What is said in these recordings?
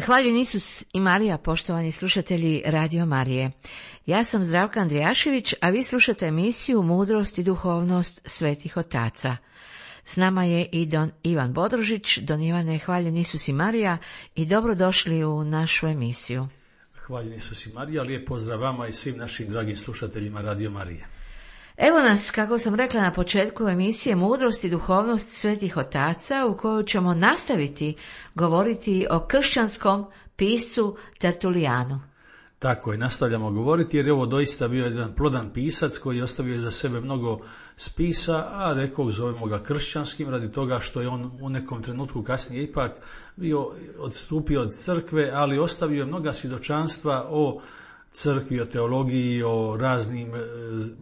Hvaljen Isus i Marija, poštovani slušatelji Radio Marije. Ja sam Zdravka Andrijašević, a vi slušate emisiju Mudrost i duhovnost svetih otaca. S nama je i don Ivan Bodrožić. Don Ivane, hvaljen Isus i Marija i dobrodošli u našu emisiju. Hvaljen Isus i Marija, lijep pozdrav vama i svim našim dragim slušateljima Radio Marije. Evo nas, kako sam rekla na početku emisije, Mudrost i duhovnost svetih otaca, u kojoj ćemo nastaviti govoriti o kršćanskom piscu Tertulijanu. Tako je, nastavljamo govoriti jer je ovo doista bio jedan plodan pisac koji je ostavio za sebe mnogo spisa, a rekao zovemo ga kršćanskim radi toga što je on u nekom trenutku kasnije ipak bio odstupio od crkve, ali ostavio je mnoga svjedočanstva o crkvi, o teologiji, o raznim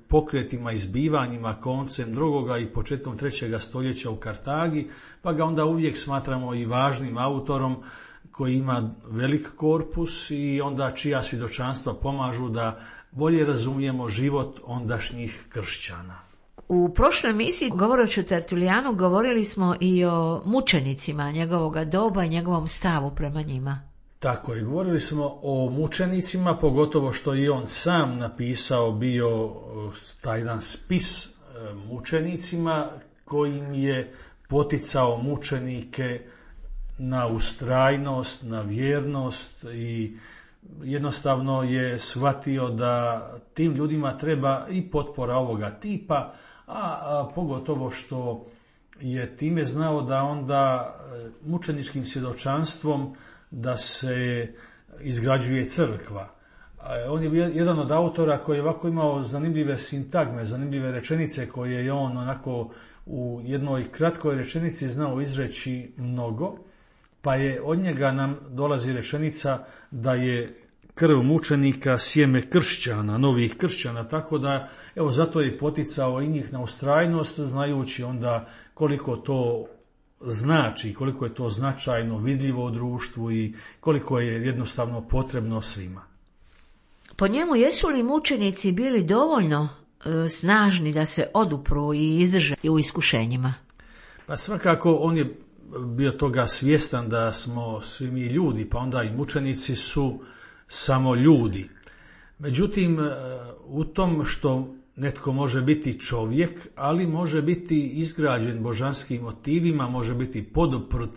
pokretima, izbivanjima koncem drugoga i početkom 3. stoljeća u Kartagi, pa ga onda uvijek smatramo i važnim autorom koji ima velik korpus i onda čija svjedočanstva pomažu da bolje razumijemo život ondašnjih kršćana. U prošloj emisiji, govoreći o Tertulijanu, govorili smo i o mučenicima njegovoga doba i njegovom stavu prema njima. Tako je, govorili smo o mučenicima, pogotovo što i on sam napisao bio taj jedan spis mučenicima kojim je poticao mučenike na ustrajnost, na vjernost i jednostavno je shvatio da tim ljudima treba i potpora ovoga tipa, a pogotovo što je time znao da onda mučeničkim svjedočanstvom da se izgrađuje crkva. On je bio jedan od autora koji je ovako imao zanimljive sintagme, zanimljive rečenice koje je on onako u jednoj kratkoj rečenici znao izreći mnogo, pa je od njega nam dolazi rečenica da je krv mučenika sjeme kršćana, novih kršćana, tako da evo zato je poticao i njih na ustrajnost, znajući onda koliko to znači, koliko je to značajno, vidljivo u društvu i koliko je jednostavno potrebno svima. Po njemu, jesu li mučenici bili dovoljno snažni da se odupru i izdrže u iskušenjima? Pa svakako on je bio toga svjestan da smo svi mi ljudi, pa onda i mučenici su samo ljudi. Međutim, u tom što netko može biti čovjek, ali može biti izgrađen božanskim motivima, može biti poduprt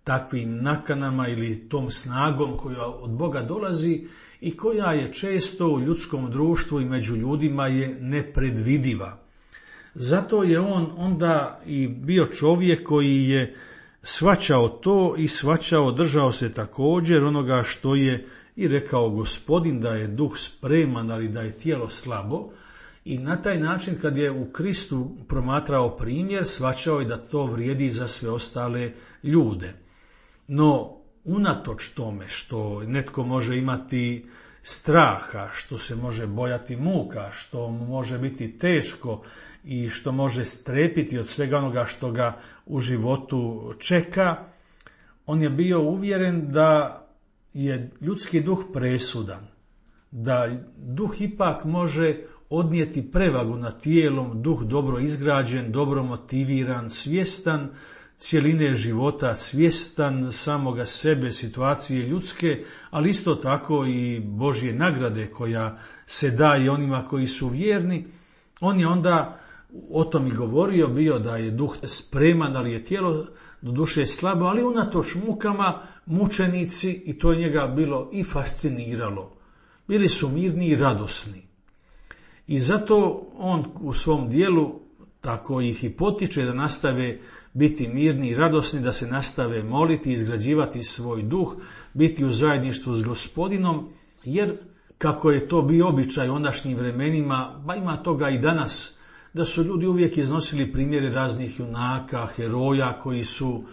takvim nakanama ili tom snagom koja od Boga dolazi i koja je često u ljudskom društvu i među ljudima je nepredvidiva. Zato je on onda i bio čovjek koji je shvaćao to i držao se također onoga što je i rekao Gospodin, da je duh spreman, ali da je tijelo slabo. I na taj način kad je u Kristu promatrao primjer, shvaćao je da to vrijedi za sve ostale ljude. No, unatoč tome što netko može imati straha, što se može bojati muka, što može biti teško i što može strepiti od svega onoga što ga u životu čeka, on je bio uvjeren da je ljudski duh presudan, da duh ipak može odnijeti prevagu nad tijelom, duh dobro izgrađen, dobro motiviran, svjestan cjeline života, svjestan samoga sebe, situacije ljudske, ali isto tako i Božje nagrade koja se daje onima koji su vjerni. On je onda o tom i govorio, bio da je duh spreman, ali je tijelo do duše slabo, ali unatoč mukama mučenici, i to je njega bilo i fasciniralo, bili su mirni i radosni. I zato on u svom dijelu tako ih i potiče da nastave biti mirni i radosni, da se nastave moliti, izgrađivati svoj duh, biti u zajedništvu s Gospodinom, jer kako je to bio običaj u ondašnjim vremenima, ba ima toga i danas, da su ljudi uvijek iznosili primjere raznih junaka, heroja koji su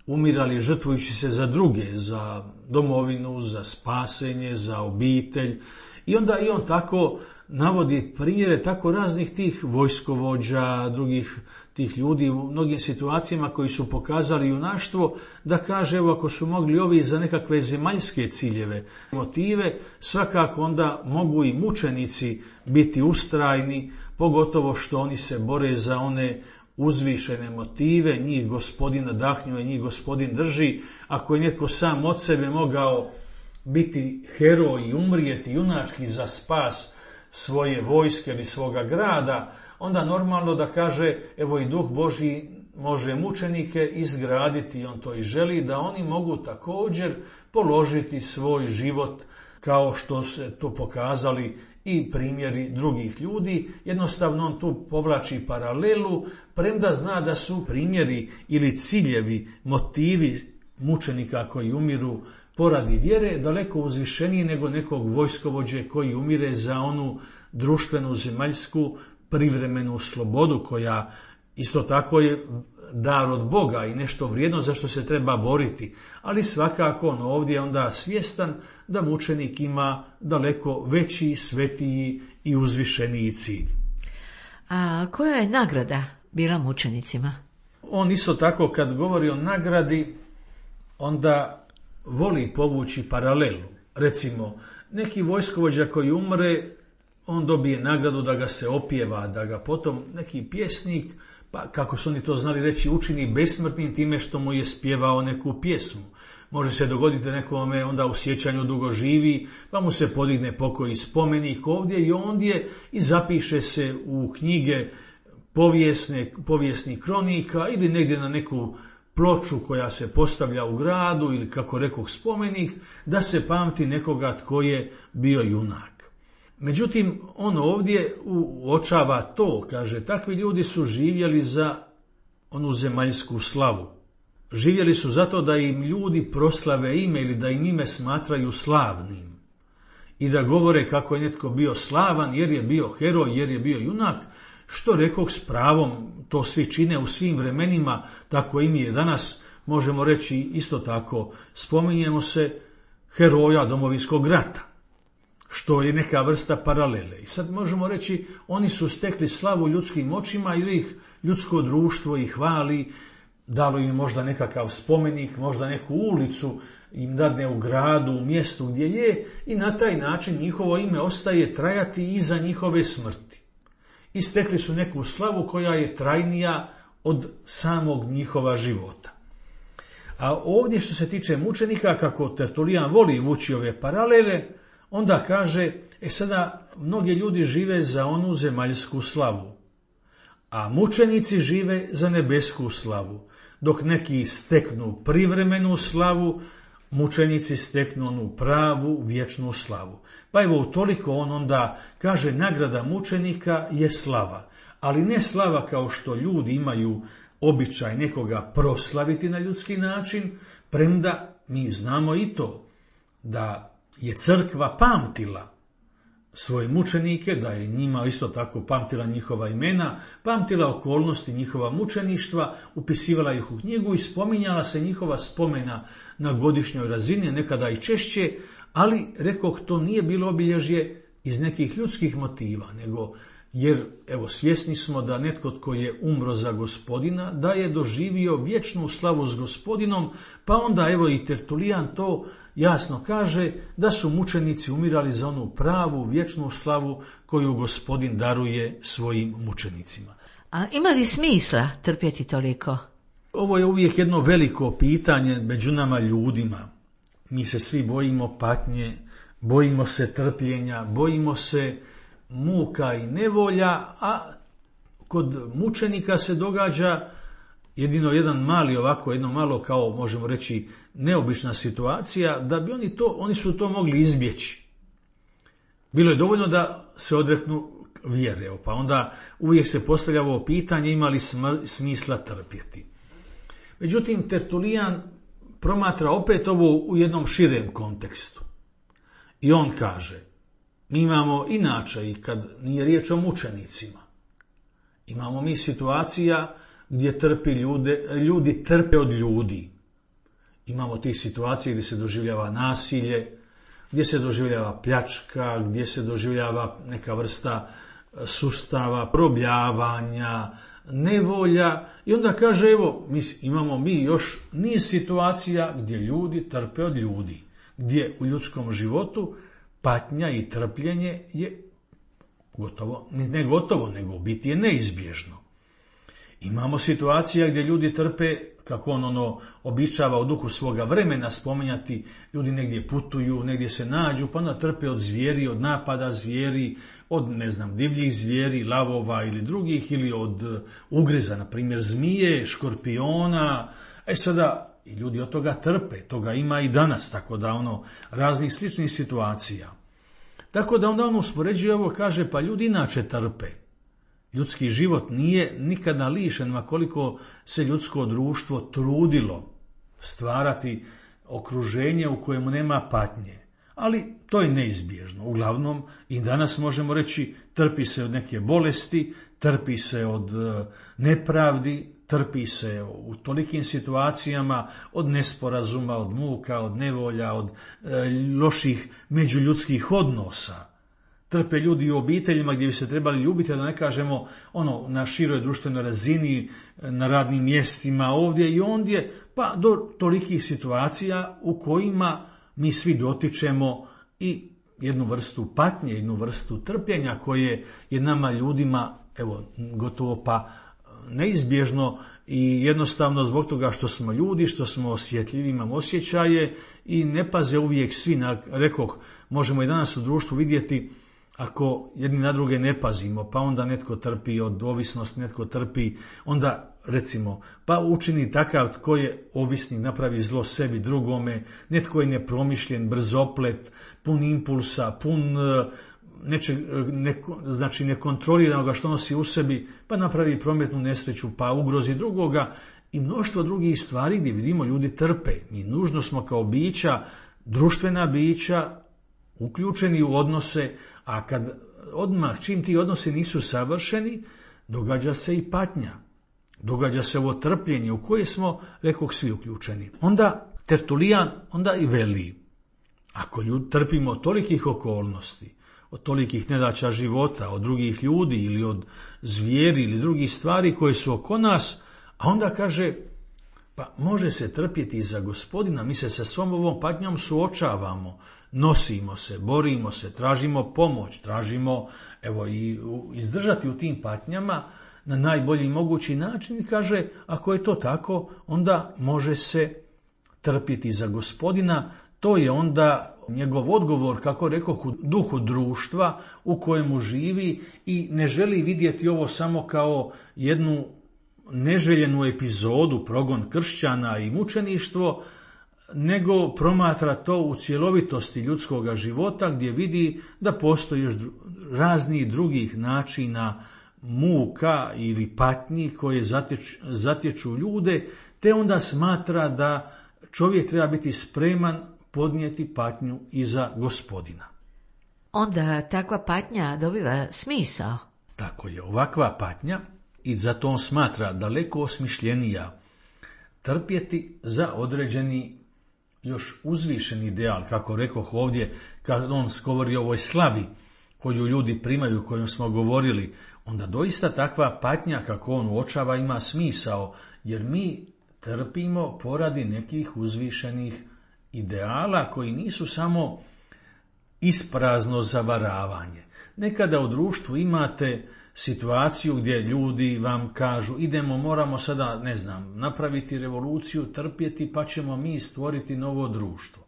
umirali žrtvujući se za druge, za domovinu, za spasenje, za obitelj. I onda i on tako navodi primjere tako raznih tih vojskovođa, drugih tih ljudi u mnogim situacijama koji su pokazali junaštvo, da kaže evo ako su mogli ovi za nekakve zemaljske ciljeve, motive, svakako onda mogu i mučenici biti ustrajni, pogotovo što oni se bore za one uzvišene motive, njih Gospodin nadahnjuje, njih Gospodin drži. Ako je netko sam od sebe mogao biti heroj i umrijeti junački za spas svoje vojske ili svoga grada, onda normalno da kaže, evo i Duh Božji može mučenike izgraditi, on to i želi, da oni mogu također položiti svoj život kao što se to pokazali i primjeri drugih ljudi. Jednostavno on tu povlači paralelu, premda zna da su primjeri ili ciljevi, motivi mučenika koji umiru poradi vjere daleko uzvišeniji nego nekog vojskovođe koji umire za onu društvenu, zemaljsku, privremenu slobodu koja isto tako je dar od Boga i nešto vrijedno za što se treba boriti. Ali svakako on ovdje onda svjestan da mučenik ima daleko veći, svetiji i uzvišeniji cilj. A koja je nagrada bila mučenicima? On isto tako kad govori o nagradi, onda voli povući paralelu. Recimo, neki vojskovođa koji umre, on dobije nagradu da ga se opjeva, da ga potom neki pjesnik, pa kako su oni to znali reći, učini besmrtnim time što mu je spjevao neku pjesmu. Može se dogoditi nekome onda u sjećanju dugo živi, pa mu se podigne pokoji spomenik ovdje i ondje i zapiše se u knjige povijesnih kronika ili negdje na neku ploču koja se postavlja u gradu ili kako rekoh spomenik, da se pamti nekoga tko je bio junak. Međutim, on ovdje uočava to, kaže, takvi ljudi su živjeli za onu zemaljsku slavu. Živjeli su zato da im ljudi proslave ime ili da im ime smatraju slavnim. I da govore kako je netko bio slavan jer je bio heroj, jer je bio junak, što rekoh s pravom, to svi čine u svim vremenima, tako i mi je danas, možemo reći isto tako, spominjemo se heroja Domovinskog rata, što je neka vrsta paralele. I sad možemo reći, oni su stekli slavu ljudskim očima jer ih ljudsko društvo ih hvali, dalo im možda nekakav spomenik, možda neku ulicu im dadne u gradu, u mjestu gdje je i na taj način njihovo ime ostaje trajati iza njihove smrti. I stekli su neku slavu koja je trajnija od samog njihova života. A ovdje što se tiče mučenika, kako Tertulijan voli vući ove paralele, onda kaže, sada mnogi ljudi žive za onu zemaljsku slavu, a mučenici žive za nebesku slavu. Dok neki steknu privremenu slavu, mučenici steknu onu pravu, vječnu slavu. Pa evo utoliko on onda kaže, nagrada mučenika je slava, ali ne slava kao što ljudi imaju običaj nekoga proslaviti na ljudski način, premda mi znamo i to da je crkva pamtila svoje mučenike, da je njima isto tako pamtila njihova imena, pamtila okolnosti njihova mučeništva, upisivala ih u knjigu i spominjala se njihova spomena na godišnjoj razini, nekada i češće, ali rekoh to nije bilo obilježje iz nekih ljudskih motiva, nego jer evo svjesni smo da netko tko je umro za Gospodina, da je doživio vječnu slavu s Gospodinom, pa onda evo i Tertulijan to jasno kaže da su mučenici umirali za onu pravu, vječnu slavu koju Gospodin daruje svojim mučenicima. A ima li smisla trpjeti toliko? Ovo je uvijek jedno veliko pitanje među nama ljudima. Mi se svi bojimo patnje, bojimo se trpljenja, bojimo se muka i nevolja, a kod mučenika se događa jedino jedno malo kao možemo reći neobična situacija, da bi oni su to mogli izbjeći. Bilo je dovoljno da se odreknu vjere, pa onda uvijek se postavlja ovo pitanje, ima li smisla trpjeti. Međutim, Tertulijan promatra opet ovo u jednom širem kontekstu. I on kaže, mi imamo inače i kad nije riječ o mučenicima, imamo mi situacija gdje ljudi trpe od ljudi. Imamo tih situacija gdje se doživljava nasilje, gdje se doživljava pljačka, gdje se doživljava neka vrsta sustava, probljavanja, nevolja. I onda kaže, evo, imamo mi još niz situacija gdje ljudi trpe od ljudi, gdje u ljudskom životu patnja i trpljenje je nego biti je neizbježno. Imamo situacija gdje ljudi trpe, kako on običava u duhu svoga vremena spominjati, ljudi negdje putuju, negdje se nađu, pa onda trpe od zvijeri, od napada zvijeri, od divljih zvijeri, lavova ili drugih, ili od ugriza, na primjer zmije, škorpiona. Sada i ljudi od toga trpe, toga ima i danas, tako da raznih sličnih situacija. Tako da onda on uspoređuje ovo, kaže, pa ljudi inače trpe. Ljudski život nije nikada lišen, ma koliko se ljudsko društvo trudilo stvarati okruženje u kojemu nema patnje. Ali to je neizbježno. Uglavnom, i danas možemo reći, trpi se od neke bolesti, trpi se od nepravdi, trpi se u tolikim situacijama od nesporazuma, od muka, od nevolja, od loših međuljudskih odnosa. Trpe ljudi u obiteljima gdje bi se trebali ljubiti, da ne kažemo na široj društvenoj razini, na radnim mjestima, ovdje i ondje, pa do tolikih situacija u kojima mi svi dotičemo i jednu vrstu patnje, jednu vrstu trpljenja koje je nama ljudima gotovo pa neizbježno i jednostavno zbog toga što smo ljudi, što smo osjetljivi, imamo osjećaje i ne paze uvijek svi. Rekoh, možemo i danas u društvu vidjeti ako jedni na druge ne pazimo, pa onda netko trpi od ovisnosti, netko trpi, onda recimo, pa učini takav tko je ovisnik, napravi zlo sebi, drugome, netko je nepromišljen, brzoplet, pun impulsa, pun nekontroliranog što nosi u sebi, pa napravi prometnu nesreću, pa ugrozi drugoga i mnoštvo drugih stvari gdje vidimo ljudi trpe. Mi nužno smo kao bića, društvena bića, uključeni u odnose, a kad odmah čim ti odnosi nisu savršeni, događa se i patnja. Događa se ovo trpljenje u koje smo, rekoh, svi uključeni. Onda Tertulijan onda i veli, ako trpimo od tolikih okolnosti, od tolikih nedaća života, od drugih ljudi ili od zvijeri ili drugih stvari koje su oko nas, a onda kaže, pa može se trpjeti i za Gospodina, mi se sa svom ovom patnjom suočavamo, nosimo se, borimo se, tražimo pomoć, tražimo i izdržati u tim patnjama na najbolji mogući način i kaže, ako je to tako, onda može se trpjeti za Gospodina. To je onda njegov odgovor, kako rekoh, u duhu društva u kojemu živi i ne želi vidjeti ovo samo kao jednu neželjenu epizodu, progon kršćana i mučeništvo, nego promatra to u cjelovitosti ljudskog života gdje vidi da postoji još raznih drugih načina muka ili patnji koje zatječu ljude, te onda smatra da čovjek treba biti spreman podnijeti patnju i za Gospodina. Onda takva patnja dobiva smisao. Tako je, ovakva patnja, i zato on smatra daleko osmišljenija, trpjeti za određeni još uzvišeni ideal, kako rekoh ovdje, kad on govori o ovoj slavi koju ljudi primaju, o kojom smo govorili, onda doista takva patnja, kako on uočava, ima smisao, jer mi trpimo poradi nekih uzvišenih ideala koji nisu samo isprazno zavaravanje. Nekada u društvu imate situaciju gdje ljudi vam kažu, moramo sada, napraviti revoluciju, trpjeti, pa ćemo mi stvoriti novo društvo.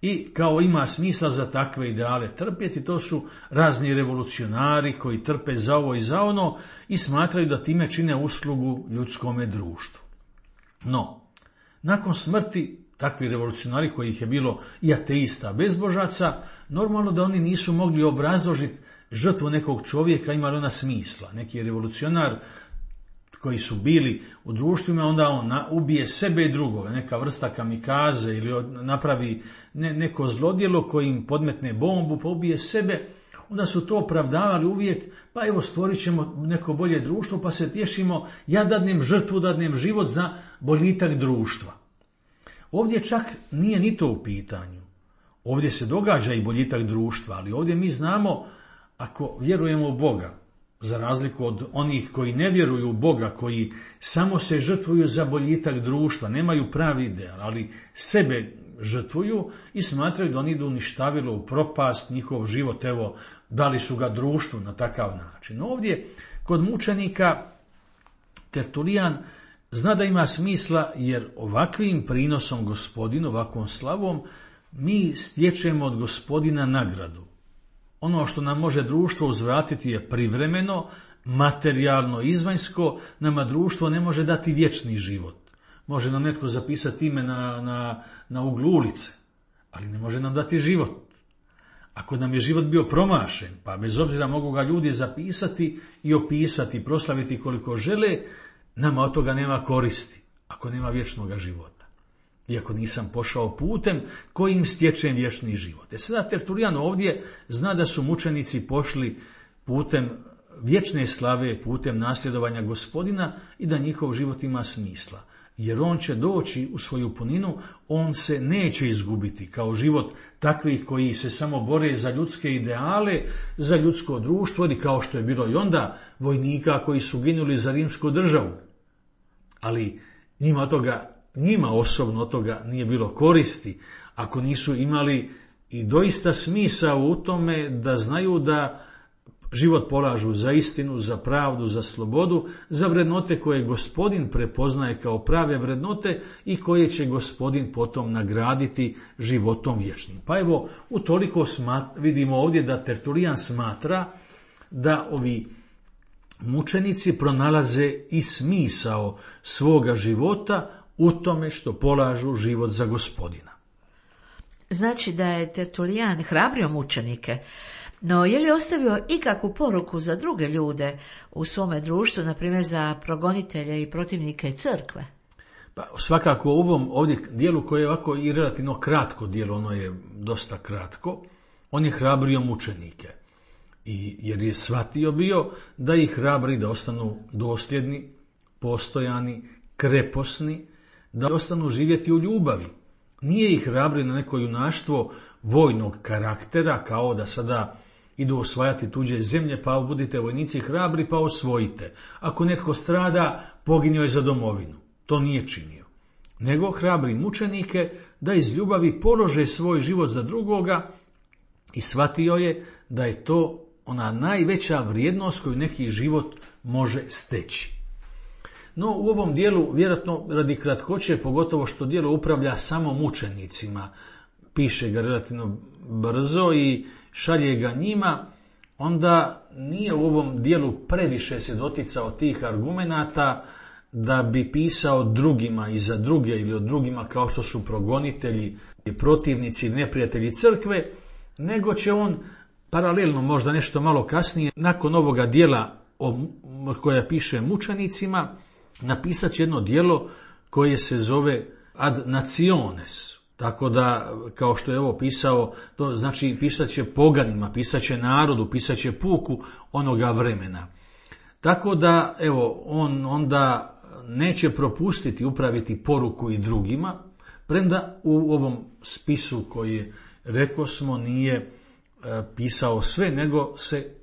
I kao ima smisla za takve ideale trpjeti, to su razni revolucionari koji trpe za ovo i za ono i smatraju da time čine uslugu ljudskome društvu. No, nakon smrti takvi revolucionari, kojih je bilo i ateista, bezbožaca, normalno da oni nisu mogli obrazložiti žrtvu nekog čovjeka, ima li ona smisla. Neki revolucionar koji su bili u društvima, onda on ubije sebe i drugoga, neka vrsta kamikaze ili napravi neko zlodjelo koji im podmetne bombu pa ubije sebe, onda su to opravdavali uvijek, pa stvorit ćemo neko bolje društvo, pa se tješimo, ja dadnem žrtvu, dadnem život za boljitak društva. Ovdje čak nije ni to u pitanju. Ovdje se događa i boljitak društva, ali ovdje mi znamo, ako vjerujemo u Boga, za razliku od onih koji ne vjeruju u Boga, koji samo se žrtvuju za boljitak društva, nemaju pravi ideal, ali sebe žrtvuju i smatraju da oni idu uništavilo u propast njihov život, dali su ga društvu na takav način. Ovdje, kod mučenika, Tertulijan zna da ima smisla, jer ovakvim prinosom Gospodinu, ovakvom slavom, mi stječemo od Gospodina nagradu. Ono što nam može društvo uzvratiti je privremeno, materijalno, izvanjsko, nama društvo ne može dati vječni život. Može nam netko zapisati ime na uglu ulice, ali ne može nam dati život. Ako nam je život bio promašen, pa bez obzira mogu ga ljudi zapisati i opisati, proslaviti koliko žele, nama od toga nema koristi, ako nema vječnog života. Iako nisam pošao putem kojim stječem vječni život. Sada Tertulijan ovdje zna da su mučenici pošli putem vječne slave, putem nasljedovanja Gospodina i da njihov život ima smisla. Jer on će doći u svoju puninu, on se neće izgubiti kao život takvih koji se samo bore za ljudske ideale, za ljudsko društvo, ili kao što je bilo i onda vojnika koji su ginuli za rimsku državu. Ali njima osobno od toga nije bilo koristi, ako nisu imali i doista smisao u tome da znaju da život polažu za istinu, za pravdu, za slobodu, za vrednote koje Gospodin prepoznaje kao prave vrednote i koje će Gospodin potom nagraditi životom vječnim. Pa evo, utoliko vidimo ovdje da Tertulijan smatra da ovi mučenici pronalaze i smisao svoga života u tome što polažu život za Gospodina. Znači da je Tertulijan hrabrio mučenike, no je li ostavio ikakvu poruku za druge ljude u svome društvu, na primjer za progonitelje i protivnike crkve? Pa svakako u ovom ovdje dijelu koje je ovako i relativno kratko dijelo, ono je dosta kratko, on je hrabrio mučenike. Jer je shvatio bio da ih hrabri da ostanu dosljedni, postojani, kreposni, da ostanu živjeti u ljubavi. Nije ih hrabri na neko junaštvo vojnog karaktera, kao da sada idu osvajati tuđe zemlje, pa budite vojnici hrabri, pa osvojite. Ako netko strada, poginio je za domovinu. To nije činio. Nego hrabri mučenike da iz ljubavi polože svoj život za drugoga i shvatio je da je to ona najveća vrijednost koju neki život može steći. No u ovom dijelu, vjerojatno radi kratkoće, pogotovo što dijelo upravlja samo mučenicima, piše ga relativno brzo i šalje ga njima, onda nije u ovom dijelu previše se doticao tih argumenata da bi pisao drugima i za druge ili od drugima kao što su progonitelji, protivnici, neprijatelji crkve, nego će on paralelno, možda nešto malo kasnije, nakon ovoga dijela koja piše mučenicima, napisat će jedno dijelo koje se zove Ad Nationes. Tako da, kao što je ovo pisao, to znači pisat će poganima, pisat će narodu, pisat će puku onoga vremena. Tako da, evo, on onda neće propustiti upraviti poruku i drugima, premda u ovom spisu koji rekao smo nije pisao sve, nego se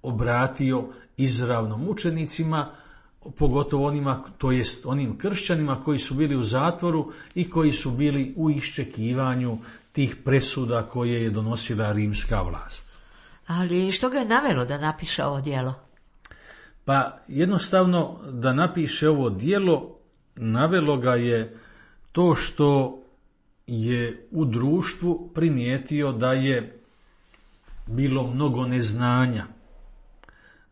obratio izravno mučenicima, pogotovo onima, to jest onim kršćanima koji su bili u zatvoru i koji su bili u iščekivanju tih presuda koje je donosila rimska vlast. Ali što ga je navelo da napiše ovo djelo? Pa jednostavno da napiše ovo djelo navelo ga je to što je u društvu primijetio da je bilo mnogo neznanja,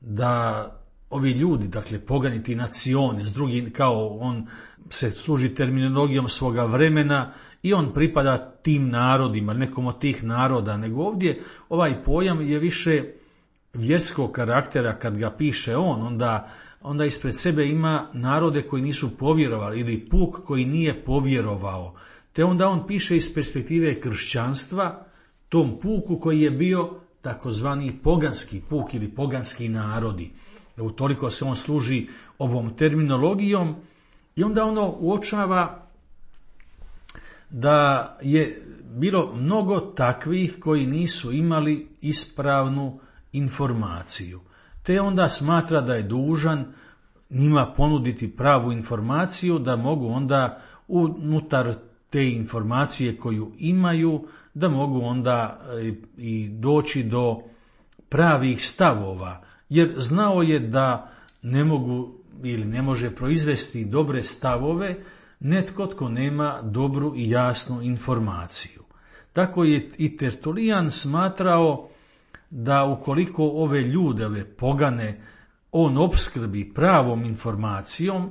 da ovi ljudi, dakle pogani ti nacione, s drugim, kao on se služi terminologijom svoga vremena i on pripada tim narodima, nekom od tih naroda, nego ovdje ovaj pojam je više vjerskog karaktera. Kad ga piše onda ispred sebe ima narode koji nisu povjerovali ili puk koji nije povjerovao. Te onda on piše iz perspektive kršćanstva tom puku koji je bio takozvani poganski puk ili poganski narodi. Utoliko se on služi ovom terminologijom i onda ono uočava da je bilo mnogo takvih koji nisu imali ispravnu informaciju. Te onda smatra da je dužan njima ponuditi pravu informaciju, da mogu onda unutar te informacije koju imaju, da mogu onda i doći do pravih stavova. Jer znao je da ne mogu ili ne može proizvesti dobre stavove netko tko nema dobru i jasnu informaciju. Tako je i Tertulijan smatrao da ukoliko ove ljude, ove pogane, on opskrbi pravom informacijom,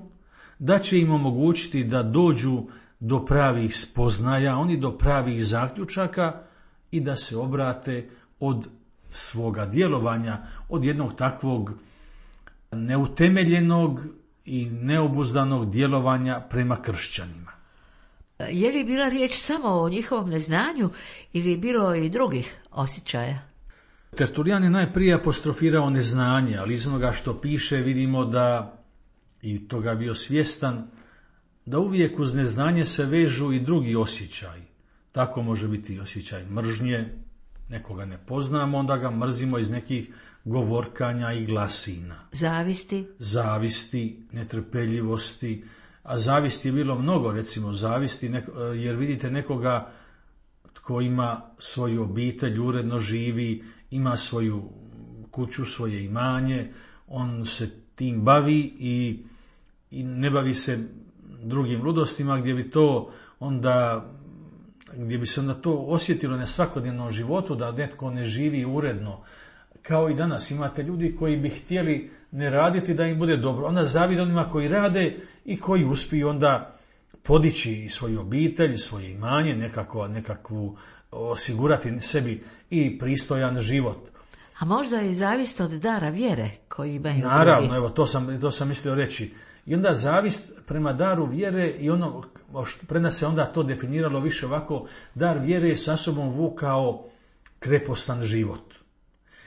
da će im omogućiti da dođu do pravih spoznaja, oni do pravih zaključaka i da se obrate od svoga djelovanja, od jednog takvog neutemeljenog i neobuzdanog djelovanja prema kršćanima. Je li bila riječ samo o njihovom neznanju ili je bilo i drugih osjećaja? Tertulijan je najprije apostrofirao neznanje, ali iz onoga što piše vidimo da, i toga bio svjestan, da uvijek uz neznanje se vežu i drugi osjećaji. Tako može biti osjećaj mržnje, nekoga ne poznamo, onda ga mrzimo iz nekih govorkanja i glasina. Zavisti, netrpeljivosti, a zavisti je bilo mnogo, recimo zavisti, jer vidite nekoga tko ima svoju obitelj, uredno živi, ima svoju kuću, svoje imanje, on se tim bavi i ne bavi se drugim ludostima gdje bi se onda to osjetilo na svakodnevnom životu, da netko ne živi uredno. Kao i danas imate ljudi koji bi htjeli ne raditi da im bude dobro. Onda zavide onima koji rade i koji uspiju onda podići svoju obitelj, svoje imanje, nekakvu osigurati sebi i pristojan život. A možda je zavist od dara vjere koji imaju drugi. Naravno, evo, to sam mislio reći. I onda zavist prema daru vjere i ono, pred nas se onda to definiralo više ovako, dar vjere je sa sobom vukao krepostan život.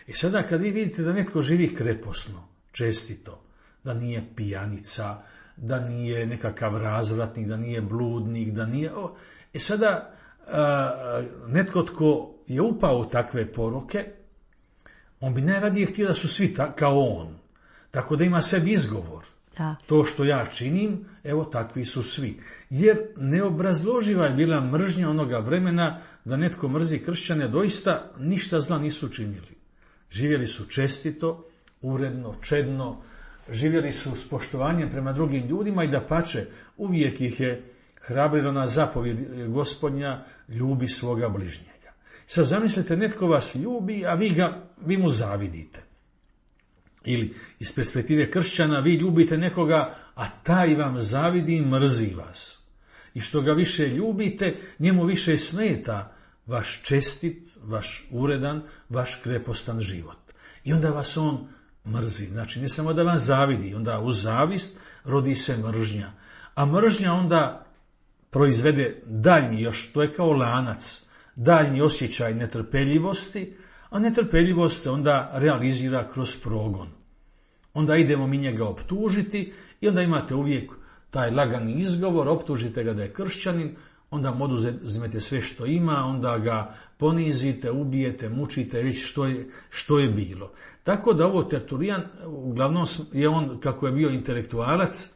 I sada kad vi vidite da netko živi kreposno, čestito, da nije pijanica, da nije nekakav razvratnik, da nije bludnik, da nije... sada netko tko je upao u takve poruke, on bi najradije htio da su svi kao on. Tako da ima sebi izgovor. Da. To što ja činim, evo takvi su svi. Jer neobrazloživa je bila mržnja onoga vremena da netko mrzi kršćane, doista ništa zla nisu činili. Živjeli su čestito, uredno, čedno, živjeli su s poštovanjem prema drugim ljudima i dapače, uvijek ih je hrabrilo na zapovjed Gospodnja, ljubi svoga bližnjega. Sad zamislite, netko vas ljubi, a vi mu zavidite. Ili iz perspektive kršćana vi ljubite nekoga, a taj vam zavidi i mrzi vas. I što ga više ljubite, njemu više smeta vaš čestit, vaš uredan, vaš krepostan život. I onda vas on mrzi. Znači, ne samo da vam zavidi, onda uz zavist rodi se mržnja. A mržnja onda proizvede daljnji, još to je kao lanac, daljnji osjećaj netrpeljivosti, a netrpeljivost se onda realizira kroz progon. Onda idemo mi njega optužiti i onda imate uvijek taj lagani izgovor, optužite ga da je kršćanin, onda mu oduzmete sve što ima, onda ga ponizite, ubijete, mučite, već što je bilo. Tako da ovo Tertulijan, uglavnom je on, kako je bio intelektualac,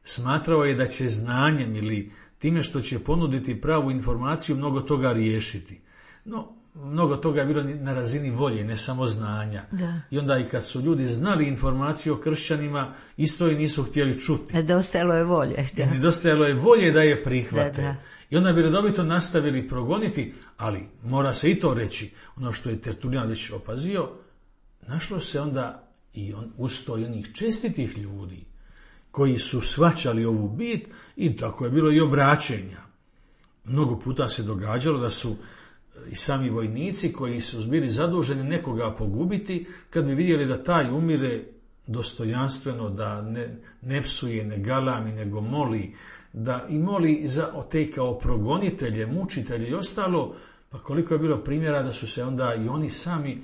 smatrao je da će znanjem ili time što će ponuditi pravu informaciju mnogo toga riješiti. No, mnogo toga je bilo na razini volje, ne samo znanja. Da. I onda i kad su ljudi znali informaciju o kršćanima, isto i nisu htjeli čuti. Nedostajalo je volje. Da. Nedostajalo je volje da je prihvate. Da. I onda bi redovito nastavili progoniti, ali mora se i to reći, ono što je Tertulijan već opazio, našlo se onda i uz to i onih čestitih ljudi koji su shvaćali ovu bit i tako je bilo i obraćenja. Mnogo puta se događalo da su i sami vojnici koji su bili zaduženi nekoga pogubiti, kad bi vidjeli da taj umire dostojanstveno, da ne psuje, ne galami, nego moli, da i moli za te kao progonitelje, mučitelje i ostalo, pa koliko je bilo primjera da su se onda i oni sami,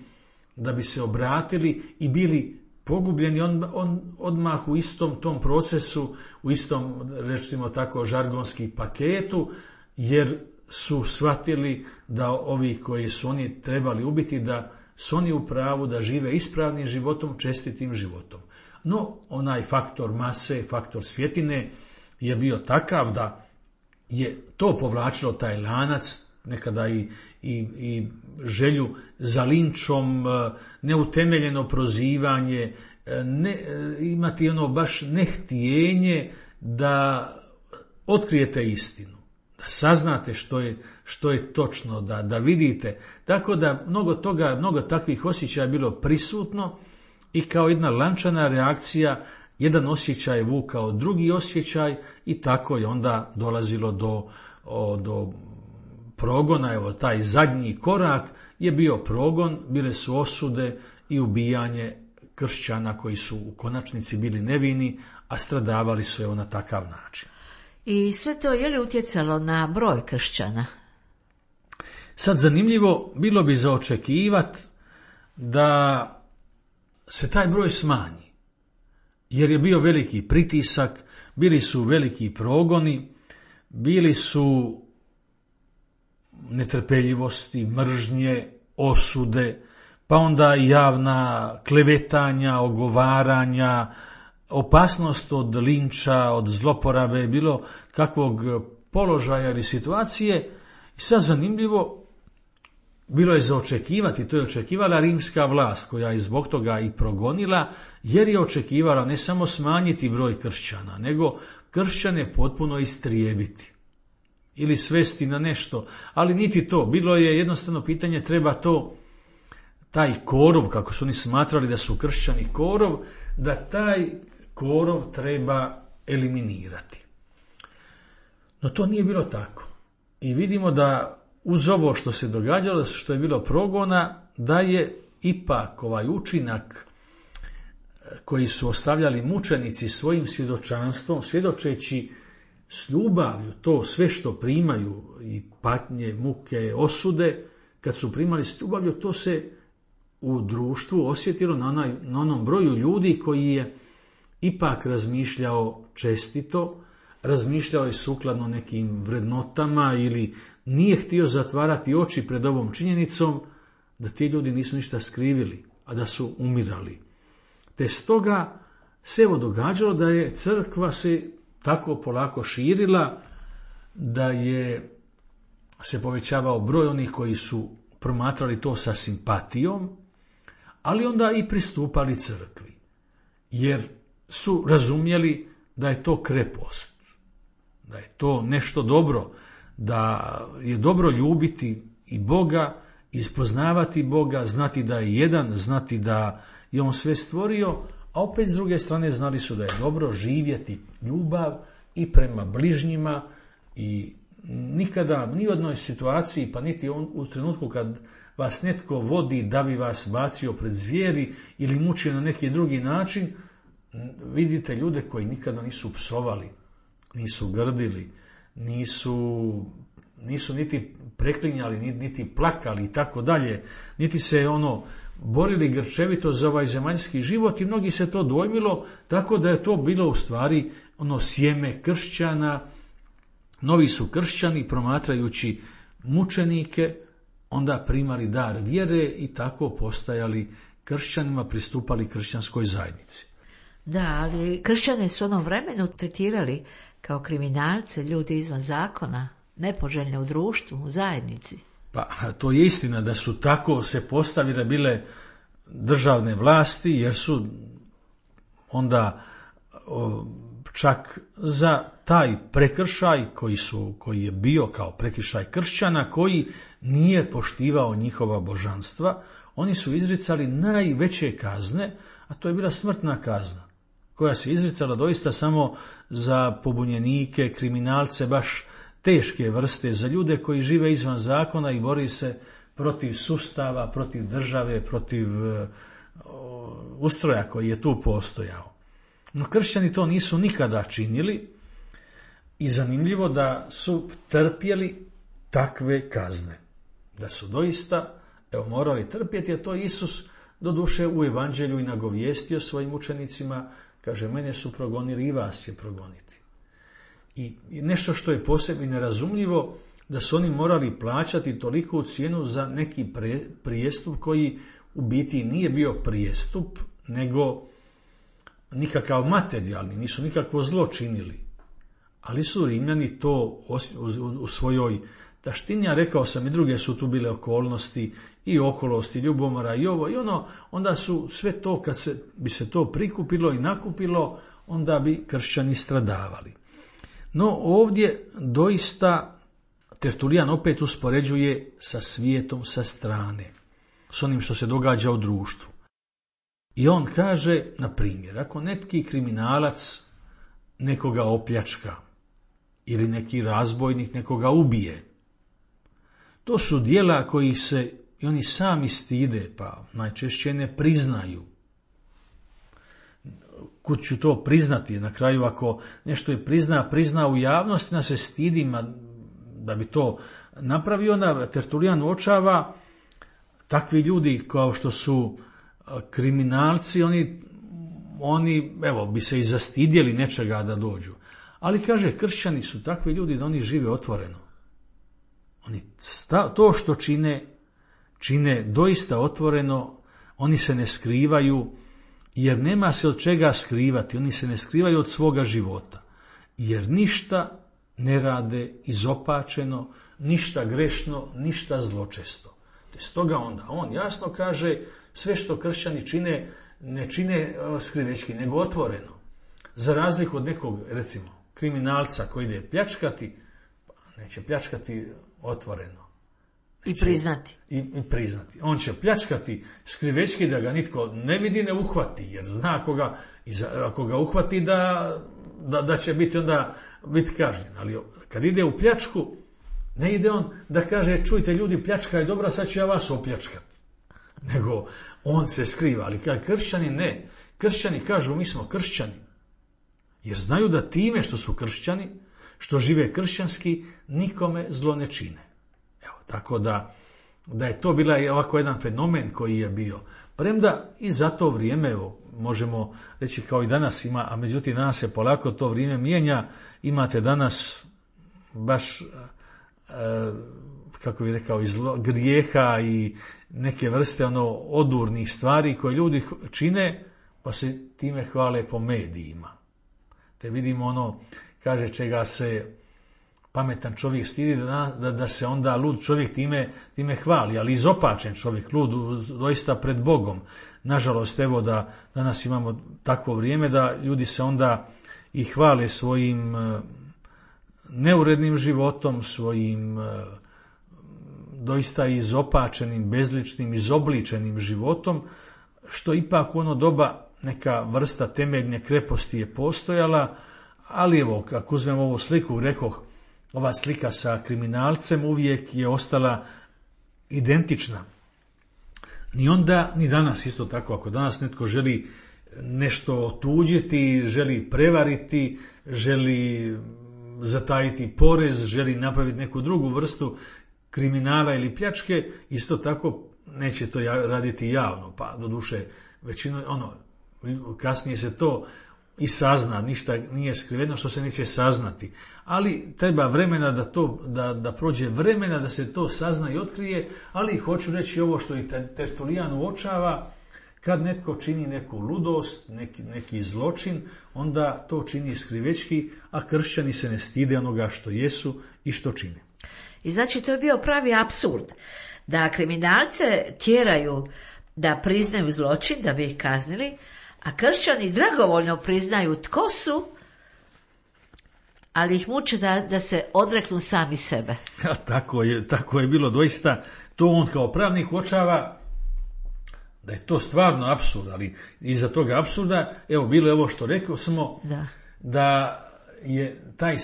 da bi se obratili i bili pogubljeni odmah u istom tom procesu, u istom, recimo tako, žargonski paketu, jer su shvatili da ovi koji su oni trebali ubiti, da su oni u pravu, da žive ispravnim životom, čestitim životom. No, onaj faktor mase, faktor svjetine je bio takav da je to povlačilo taj lanac, nekada i želju za linčom, neutemeljeno prozivanje imati ono baš nehtjenje da otkrijete istinu, da saznate što je točno, da vidite. Tako da mnogo takvih osjećaja je bilo prisutno i kao jedna lančana reakcija, jedan osjećaj je vukao drugi osjećaj i tako je onda dolazilo do progona. Evo, taj zadnji korak je bio progon, bile su osude i ubijanje kršćana koji su u konačnici bili nevini, a stradavali su na takav način. I sve to je li utjecalo na broj kršćana? Sad zanimljivo, bilo bi za očekivati da se taj broj smanji, jer je bio veliki pritisak, bili su veliki progoni, bili su netrpeljivosti, mržnje, osude, pa onda javna klevetanja, ogovaranja, opasnost od linča, od zloporabe, bilo kakvog položaja ili situacije. I sad zanimljivo, bilo je za očekivati, to je očekivala rimska vlast, koja je zbog toga i progonila, jer je očekivala ne samo smanjiti broj kršćana, nego kršćane potpuno istrijebiti ili svesti na nešto, ali niti to. Bilo je jednostavno pitanje, treba taj korov, kako su oni smatrali da su kršćani korov, da taj korov treba eliminirati. No to nije bilo tako. I vidimo da uz ovo što se događalo, što je bilo progona, da je ipak ovaj učinak koji su ostavljali mučenici svojim svjedočanstvom, svjedočeći s ljubavlju to sve što primaju, i patnje, muke, osude, kad su primali s ljubavlju, to se u društvu osjetilo na onom broju ljudi koji je ipak razmišljao čestito, razmišljao je sukladno nekim vrednotama ili nije htio zatvarati oči pred ovom činjenicom da ti ljudi nisu ništa skrivili, a da su umirali. Te stoga se evo događalo da je crkva se tako polako širila, da je se povećavao broj onih koji su promatrali to sa simpatijom, ali onda i pristupali crkvi, jer su razumjeli da je to krepost, da je to nešto dobro, da je dobro ljubiti i Boga, ispoznavati Boga, znati da je jedan, znati da je on sve stvorio, a opet s druge strane znali su da je dobro živjeti ljubav i prema bližnjima i nikada, ni u jednoj situaciji, pa niti u trenutku kad vas netko vodi da bi vas bacio pred zvijeri ili mučio na neki drugi način, vidite ljude koji nikada nisu psovali, nisu grdili, nisu niti preklinjali, niti plakali i tako dalje, niti se borili grčevito za ovaj zemaljski život i mnogi se to dojmilo, tako da je to bilo u stvari sjeme kršćana. Novi su kršćani, promatrajući mučenike, onda primali dar vjere i tako postajali kršćanima, pristupali kršćanskoj zajednici. Da, ali kršćane su u onom vremenu tretirali kao kriminalce, ljudi izvan zakona, nepoželjne u društvu, u zajednici. Pa to je istina da su tako se postavile bile državne vlasti, jer su onda čak za taj prekršaj koji je bio kao prekršaj kršćana, koji nije poštivao njihova božanstva, oni su izricali najveće kazne, a to je bila smrtna kazna, koja se izricala doista samo za pobunjenike, kriminalce, baš teške vrste, za ljude koji žive izvan zakona i bori se protiv sustava, protiv države, protiv ustroja koji je tu postojao. No kršćani to nisu nikada činili i zanimljivo da su trpjeli takve kazne. Da su doista morali trpjeti, a to Isus doduše u evanđelju i nagovijestio svojim učenicima, kaže, mene su progonili i vas će progoniti. I nešto što je posebno nerazumljivo, da su oni morali plaćati toliku cijenu za neki prijestup koji u biti nije bio prijestup, nego nikakav materijalni, nisu nikakvo zlo činili. Ali su Rimljani to u svojoj taštinja, rekao sam i druge su tu bile okolnosti i oholosti, ljubomora i ovo i ono, onda su sve to kad bi se to prikupilo i nakupilo, onda bi kršćani stradavali. No ovdje doista Tertulijan opet uspoređuje sa svijetom sa strane, s onim što se događa u društvu. I on kaže, na primjer, ako neki kriminalac nekoga opljačka ili neki razbojnik nekoga ubije, to su djela koji se i oni sami stide, pa najčešće ne priznaju. Kud ću to priznati? Na kraju, ako nešto je prizna u javnosti, se stidi, da bi to napravio, onda Tertulijan uočava takvi ljudi kao što su kriminalci, oni evo, bi se i zastidjeli nečega da dođu. Ali kaže, kršćani su takvi ljudi da oni žive otvoreno. Oni to što čine doista otvoreno, oni se ne skrivaju, jer nema se od čega skrivati, oni se ne skrivaju od svoga života, jer ništa ne rade izopačeno, ništa grešno, ništa zločesto. Te stoga onda on jasno kaže, sve što kršćani čine, ne čine skrivečki, nego otvoreno. Za razliku od nekog, recimo, kriminalca koji ide pljačkati, pa neće pljačkati otvoreno. I priznati. I priznati. On će pljačkati skrivečki da ga nitko ne vidi, ne uhvati, jer zna ako ga uhvati da će biti kažnjen. Ali kad ide u pljačku, ne ide on da kaže, čujte ljudi, pljačka je dobra, sad ću ja vas opljačkati. Nego on se skriva. Ali kad kršćani ne. Kršćani kažu, mi smo kršćani. Jer znaju da time što su kršćani, što žive kršćanski, nikome zlo ne čine. Evo, tako da je to bila ovako jedan fenomen koji je bio. Premda i za to vrijeme, evo, možemo reći kao i danas ima, a međutim danas se polako to vrijeme mijenja. Imate danas baš, kako bih rekao, grijeha i neke vrste odurnih stvari koje ljudi čine, pa se time hvale po medijima. Te vidimo kaže, čega se pametan čovjek stidi, da se onda lud čovjek time hvali, ali izopačen čovjek, lud doista pred Bogom. Nažalost, evo da danas imamo takvo vrijeme da ljudi se onda i hvale svojim neurednim životom, svojim doista izopačenim, bezličnim, izobličenim životom, što ipak u ono doba neka vrsta temeljne kreposti je postojala, ali evo, kako uzmemo ovu sliku, rekoh, ova slika sa kriminalcem uvijek je ostala identična. Ni onda, ni danas isto tako. Ako danas netko želi nešto otuđiti, želi prevariti, želi zatajiti porez, želi napraviti neku drugu vrstu kriminala ili pljačke, isto tako neće to raditi javno. Pa doduše, većino, kasnije se to i sazna, ništa nije skriveno što se neće saznati. Ali treba vremena da prođe vremena da se to sazna i otkrije, ali hoću reći ovo što i Tertulijan uočava, kad netko čini neku ludost, neki zločin, onda to čini skrivečki, a kršćani se ne stide onoga što jesu i što čine. I znači to je bio pravi apsurd, da kriminalce tjeraju da priznaju zločin, da bi ih kaznili, a kršćani dragovoljno priznaju tko su, ali ih muče da se odreknu sami sebe. Ja, tako je bilo doista. To on kao pravnik uočava da je to stvarno apsurd, ali iza toga apsurda, evo, bilo je ovo što rekao smo, da je taj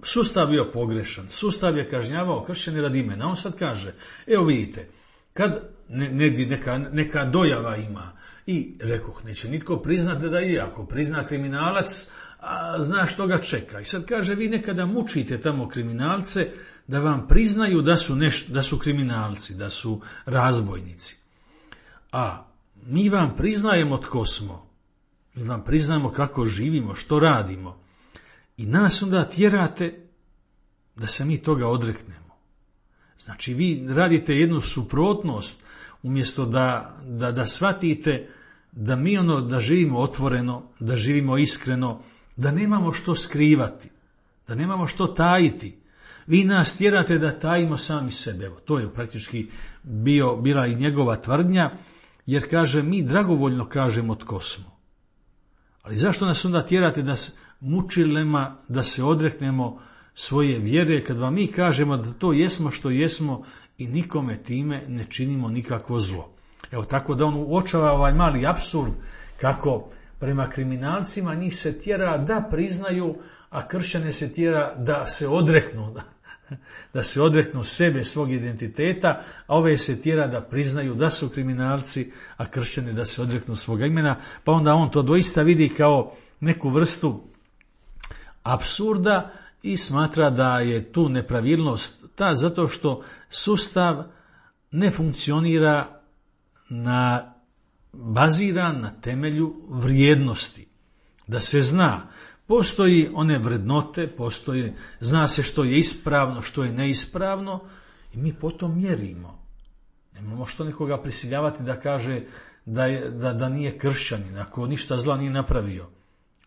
sustav bio pogrešan. Sustav je kažnjavao kršćane radi imena. On sad kaže, evo vidite, kad neka dojava ima, i rekoh, neće nitko priznati da je, ako prizna kriminalac, zna što ga čeka. I sad kaže, vi nekada mučite tamo kriminalce da vam priznaju da su kriminalci, da su razbojnici. A mi vam priznajemo tko smo. Mi vam priznajemo kako živimo, što radimo. I nas onda tjerate da se mi toga odreknemo. Znači, vi radite jednu suprotnost, umjesto da shvatite da mi da živimo otvoreno, da živimo iskreno, da nemamo što skrivati, da nemamo što tajiti. Vi nas tjerate da tajimo sami sebe. Evo, to je praktički bila i njegova tvrdnja, jer kaže, mi dragovoljno kažemo tko smo. Ali zašto nas onda tjerate da mučilema, da se odreknemo svoje vjere, kad vam mi kažemo da to jesmo što jesmo i nikome time ne činimo nikakvo zlo. Evo, tako da on uočava ovaj mali apsurd kako prema kriminalcima njih se tjera da priznaju, a kršćane se tjera da se odreknu, da se odreknu sebe, svog identiteta, a ove se tjera da priznaju da su kriminalci, a kršćane da se odreknu svoga imena, pa onda on to doista vidi kao neku vrstu apsurda i smatra da je tu nepravilnost ta zato što sustav ne funkcionira baziran na temelju vrijednosti. Da se zna, postoji one vrednote, zna se što je ispravno, što je neispravno i mi potom mjerimo. Nemamo što nekoga prisiljavati da kaže da nije kršćanin, ako ništa zla nije napravio.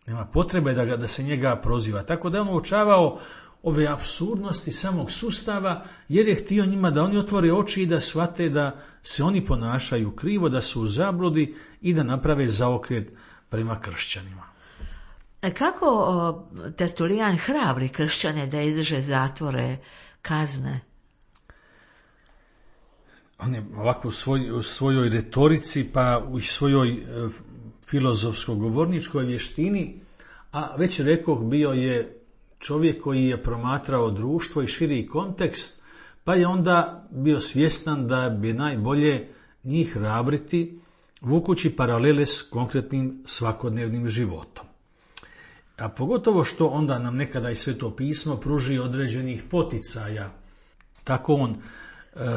Nema potrebe da se njega proziva. Tako da je on uočavao ove apsurdnosti samog sustava, jer je htio njima da oni otvore oči i da shvate da se oni ponašaju krivo, da su u zabludi i da naprave zaokret prema kršćanima. Kako Tertulijan hrabri kršćane da izdrže zatvore, kazne? On je ovako u svojoj retorici, pa u svojoj filozofsko-govorničkoj vještini, a već rekoh, bio je čovjek koji je promatrao društvo i širi kontekst, pa je onda bio svjestan da bi najbolje njih hrabriti, vukući paralele s konkretnim svakodnevnim životom. A pogotovo što onda nam nekada i Sveto pismo pruži određenih poticaja. Tako on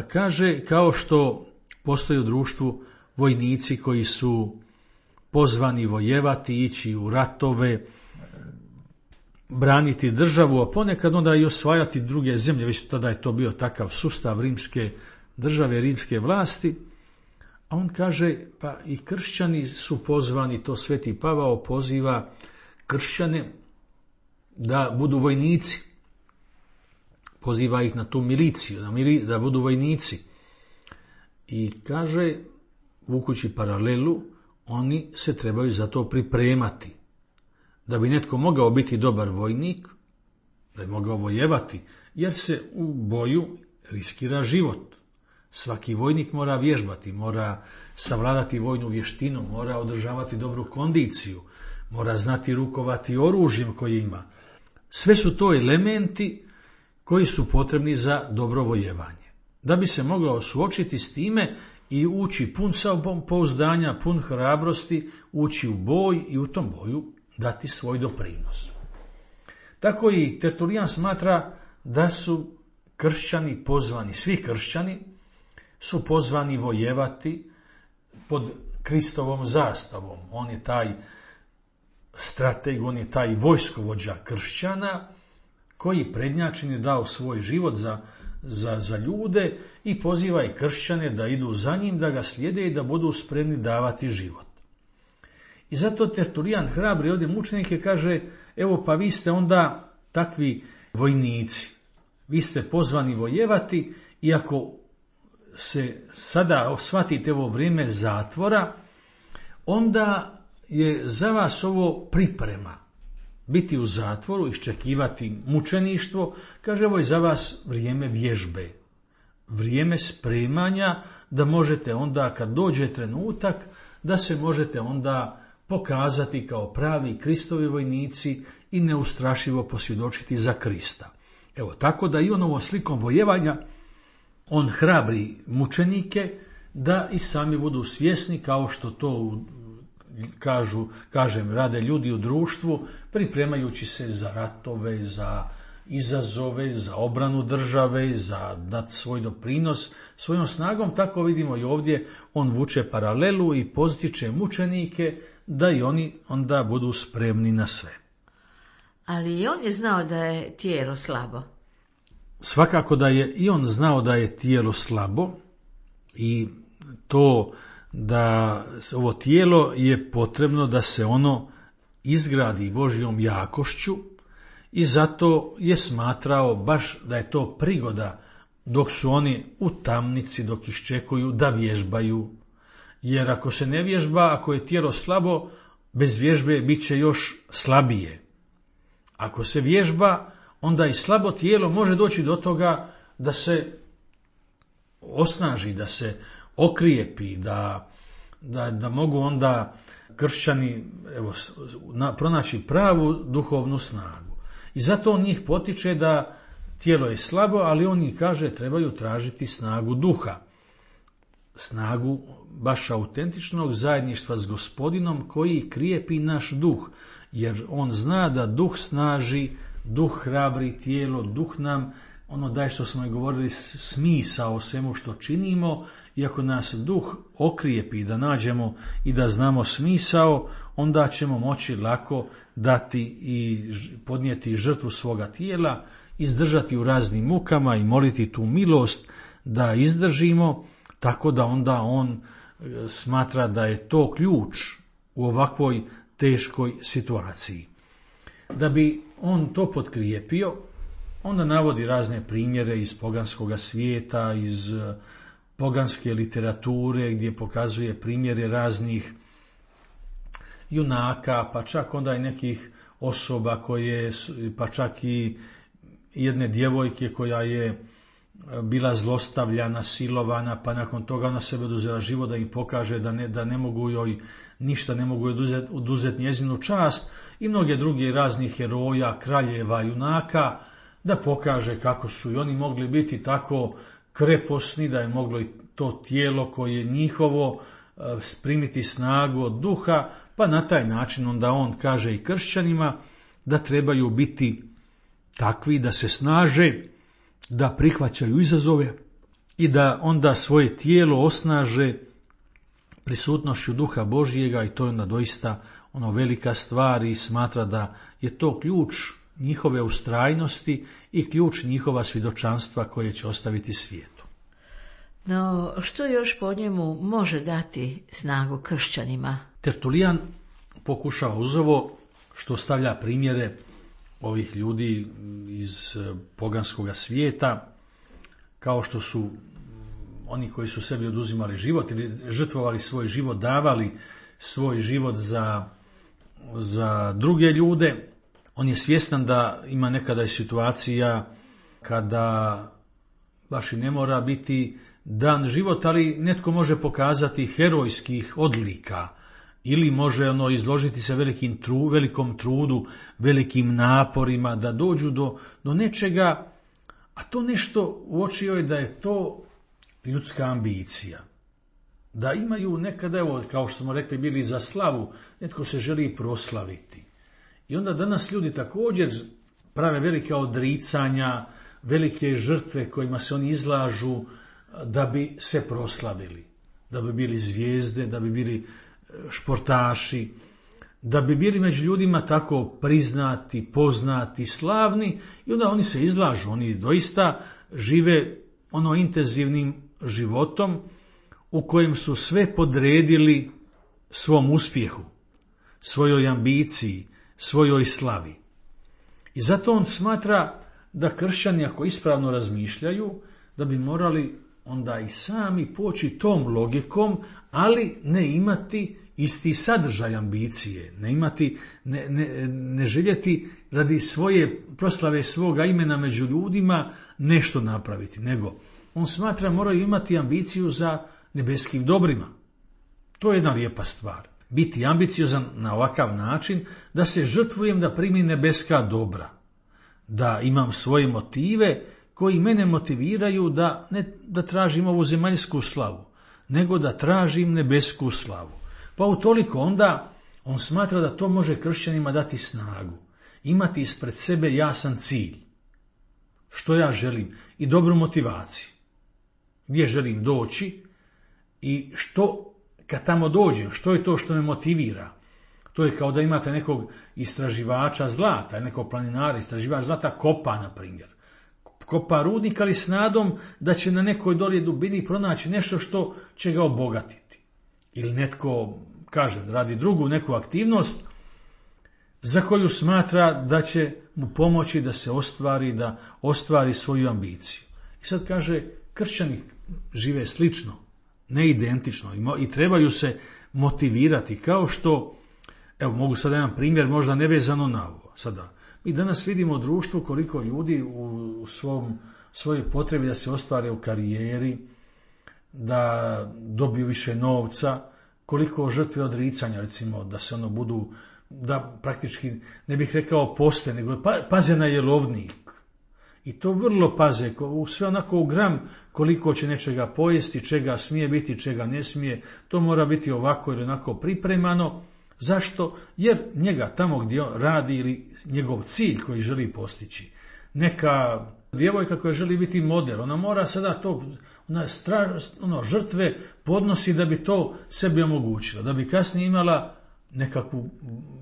kaže, kao što postoje u društvu vojnici koji su pozvani vojevati, ići u ratove, braniti državu, a ponekad onda i osvajati druge zemlje, već tada je to bio takav sustav rimske države, rimske vlasti. A on kaže, pa i kršćani su pozvani, to Sveti Pavao poziva kršćane da budu vojnici. Poziva ih na tu miliciju, da budu vojnici. I kaže, vukući paralelu, oni se trebaju za to pripremati. Da bi netko mogao biti dobar vojnik, da je mogao vojevati, jer se u boju riskira život. Svaki vojnik mora vježbati, mora savladati vojnu vještinu, mora održavati dobru kondiciju, mora znati rukovati oružjem koje ima. Sve su to elementi koji su potrebni za dobro vojevanje. Da bi se mogao suočiti s time i ući pun samopouzdanja, pun hrabrosti, ući u boj i u tom boju dati svoj doprinos. Tako i Tertulijan smatra da su kršćani pozvani, svi kršćani su pozvani vojevati pod Kristovom zastavom. On je taj strateg, on je taj vojskovođa kršćana koji prednjačin je dao svoj život za ljude i poziva i kršćane da idu za njim, da ga slijede i da budu spremni davati život. I zato Tertulijan hrabri ovdje mučenike, kaže, evo pa vi ste onda takvi vojnici, vi ste pozvani vojevati i ako se sada shvatite ovo vrijeme zatvora, onda je za vas ovo priprema. Biti u zatvoru, iščekivati mučeništvo, kaže, ovo je za vas vrijeme vježbe, vrijeme spremanja, da možete onda kad dođe trenutak, da se možete onda pokazati kao pravi Kristovi vojnici i neustrašivo posvjedočiti za Krista. Evo, tako da i on ovom slikom vojevanja, on hrabri mučenike da i sami budu svjesni, kao što to rade ljudi u društvu, pripremajući se za ratove, za izazove, za obranu države, za dati svoj doprinos svojom snagom. Tako vidimo i ovdje, on vuče paralelu i postiče mučenike da i oni onda budu spremni na sve. Ali i on je znao da je tijelo slabo. Svakako da je i on znao da je tijelo slabo i to da ovo tijelo je potrebno da se ono izgradi Božjom jakošću i zato je smatrao baš da je to prigoda dok su oni u tamnici, dok iščekuju da vježbaju. Jer ako se ne vježba, ako je tijelo slabo, bez vježbe bit će još slabije. Ako se vježba, onda i slabo tijelo može doći do toga da se osnaži, da se okrijepi, da mogu onda kršćani pronaći pravu duhovnu snagu. I zato on njih potiče da tijelo je slabo, ali on njih kaže trebaju tražiti snagu duha. Snagu baš autentičnog zajedništva s Gospodinom koji krijepi naš duh, jer on zna da duh snaži, duh hrabri tijelo, duh nam daje, što smo i govorili, smisao svemu što činimo, i ako nas duh okrijepi da nađemo i da znamo smisao, onda ćemo moći lako dati i podnijeti žrtvu svoga tijela, izdržati u raznim mukama i moliti tu milost da izdržimo, tako da onda on smatra da je to ključ u ovakvoj teškoj situaciji. Da bi on to potkrijepio, onda navodi razne primjere iz poganskog svijeta, iz poganske literature, gdje pokazuje primjere raznih junaka, pa čak onda i nekih osoba koje, pa čak i jedne djevojke koja je bila zlostavljana, silovana, pa nakon toga ona sebe oduzela život da im pokaže da ne mogu joj ništa, ne mogu joj oduzeti njezinu čast, i mnoge druge raznih heroja, kraljeva, junaka, da pokaže kako su i oni mogli biti tako kreposni, da je moglo i to tijelo koje je njihovo primiti snagu od duha, pa na taj način onda on kaže i kršćanima da trebaju biti takvi da se snaže, da prihvaćaju izazove i da onda svoje tijelo osnaže prisutnošću duha Božjega, i to je onda doista velika stvar, i smatra da je to ključ njihove ustrajnosti i ključ njihova svjedočanstva koje će ostaviti svijetu. No, što još po njemu može dati snagu kršćanima? Tertulijan pokušava uz ovo, što stavlja primjere ovih ljudi iz poganskog svijeta, kao što su oni koji su sebi oduzimali život ili žrtvovali svoj život, davali svoj život za druge ljude. On je svjestan da ima nekada i situacija kada baš i ne mora biti dan život, ali netko može pokazati herojskih odlika ili može izložiti se velikom trudu, velikim naporima da dođu do nečega, a to nešto uočio je da je to ljudska ambicija. Da imaju nekada, kao što smo rekli, bili za slavu, netko se želi proslaviti. I onda danas ljudi također prave velika odricanja, velike žrtve kojima se oni izlažu da bi se proslavili, da bi bili zvijezde, da bi bili športaši, da bi bili među ljudima tako priznati, poznati, slavni, i onda oni se izlažu, oni doista žive intenzivnim životom u kojem su sve podredili svom uspjehu, svojoj ambiciji, svojoj slavi. I zato on smatra da kršćani, ako ispravno razmišljaju, da bi morali onda i sami poći tom logikom, ali ne imati isti sadržaj ambicije, ne željeti radi svoje proslave svoga imena među ljudima nešto napraviti, nego on smatra moraju imati ambiciju za nebeskim dobrima. To je jedna lijepa stvar. Biti ambiciozan na ovakav način da se žrtvujem da primim nebeska dobra, da imam svoje motive koji mene motiviraju da ne da tražim ovu zemaljsku slavu, nego da tražim nebesku slavu. Pa utoliko onda on smatra da to može kršćanima dati snagu, imati ispred sebe jasan cilj, što ja želim, i dobru motivaciju, gdje želim doći i što kad tamo dođem, što je to što me motivira. To je kao da imate nekog istraživača zlata, nekog planinara, istraživač zlata kopa, na primjer. Kopa rudnik, ali s nadom da će na nekoj dolje dubini pronaći nešto što će ga obogatiti. Ili netko, radi drugu neku aktivnost, za koju smatra da će mu pomoći da se ostvari, da ostvari svoju ambiciju. I sad kaže, kršćani žive slično, ne identično i trebaju se motivirati, kao što, evo mogu sad jedan primjer, možda nevezano na ovo. Sada, mi danas vidimo u društvu koliko ljudi u svojoj potrebi da se ostvare u karijeri, da dobiju više novca, koliko žrtve odricanja, recimo, da se budu, da praktički, ne bih rekao poste, nego paze na jelovnik. I to vrlo paze, sve onako u gram koliko će nečega pojesti, čega smije biti, čega ne smije, to mora biti ovako ili onako pripremano. Zašto? Jer njega tamo gdje on radi ili njegov cilj koji želi postići. Neka djevojka koja želi biti model, ona mora sada to, žrtve podnosi da bi to sebi omogućila, da bi kasnije imala nekakvu,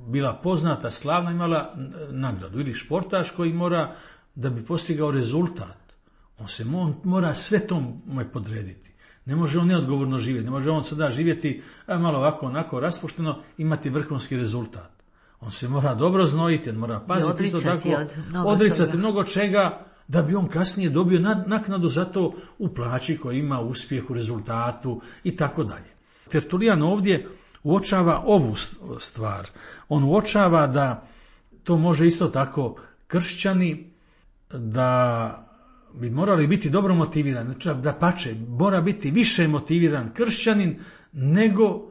bila poznata, slavna, imala nagradu. Ili športaš koji mora, da bi postigao rezultat, on mora sve tome podrediti. Ne može on neodgovorno živjeti, ne može on sada živjeti malo ovako, onako raspušteno, imati vrhunski rezultat. On se mora dobro znojiti, on mora paziti isto tako, odricati mnogo čega, da bi on kasnije dobio naknadu za to u plaći koji ima, uspjeh u rezultatu i tako dalje. Tertulijan ovdje uočava ovu stvar. On uočava da to može isto tako kršćani, da bi morali biti dobro motivirani, da pače, mora biti više motiviran kršćanin nego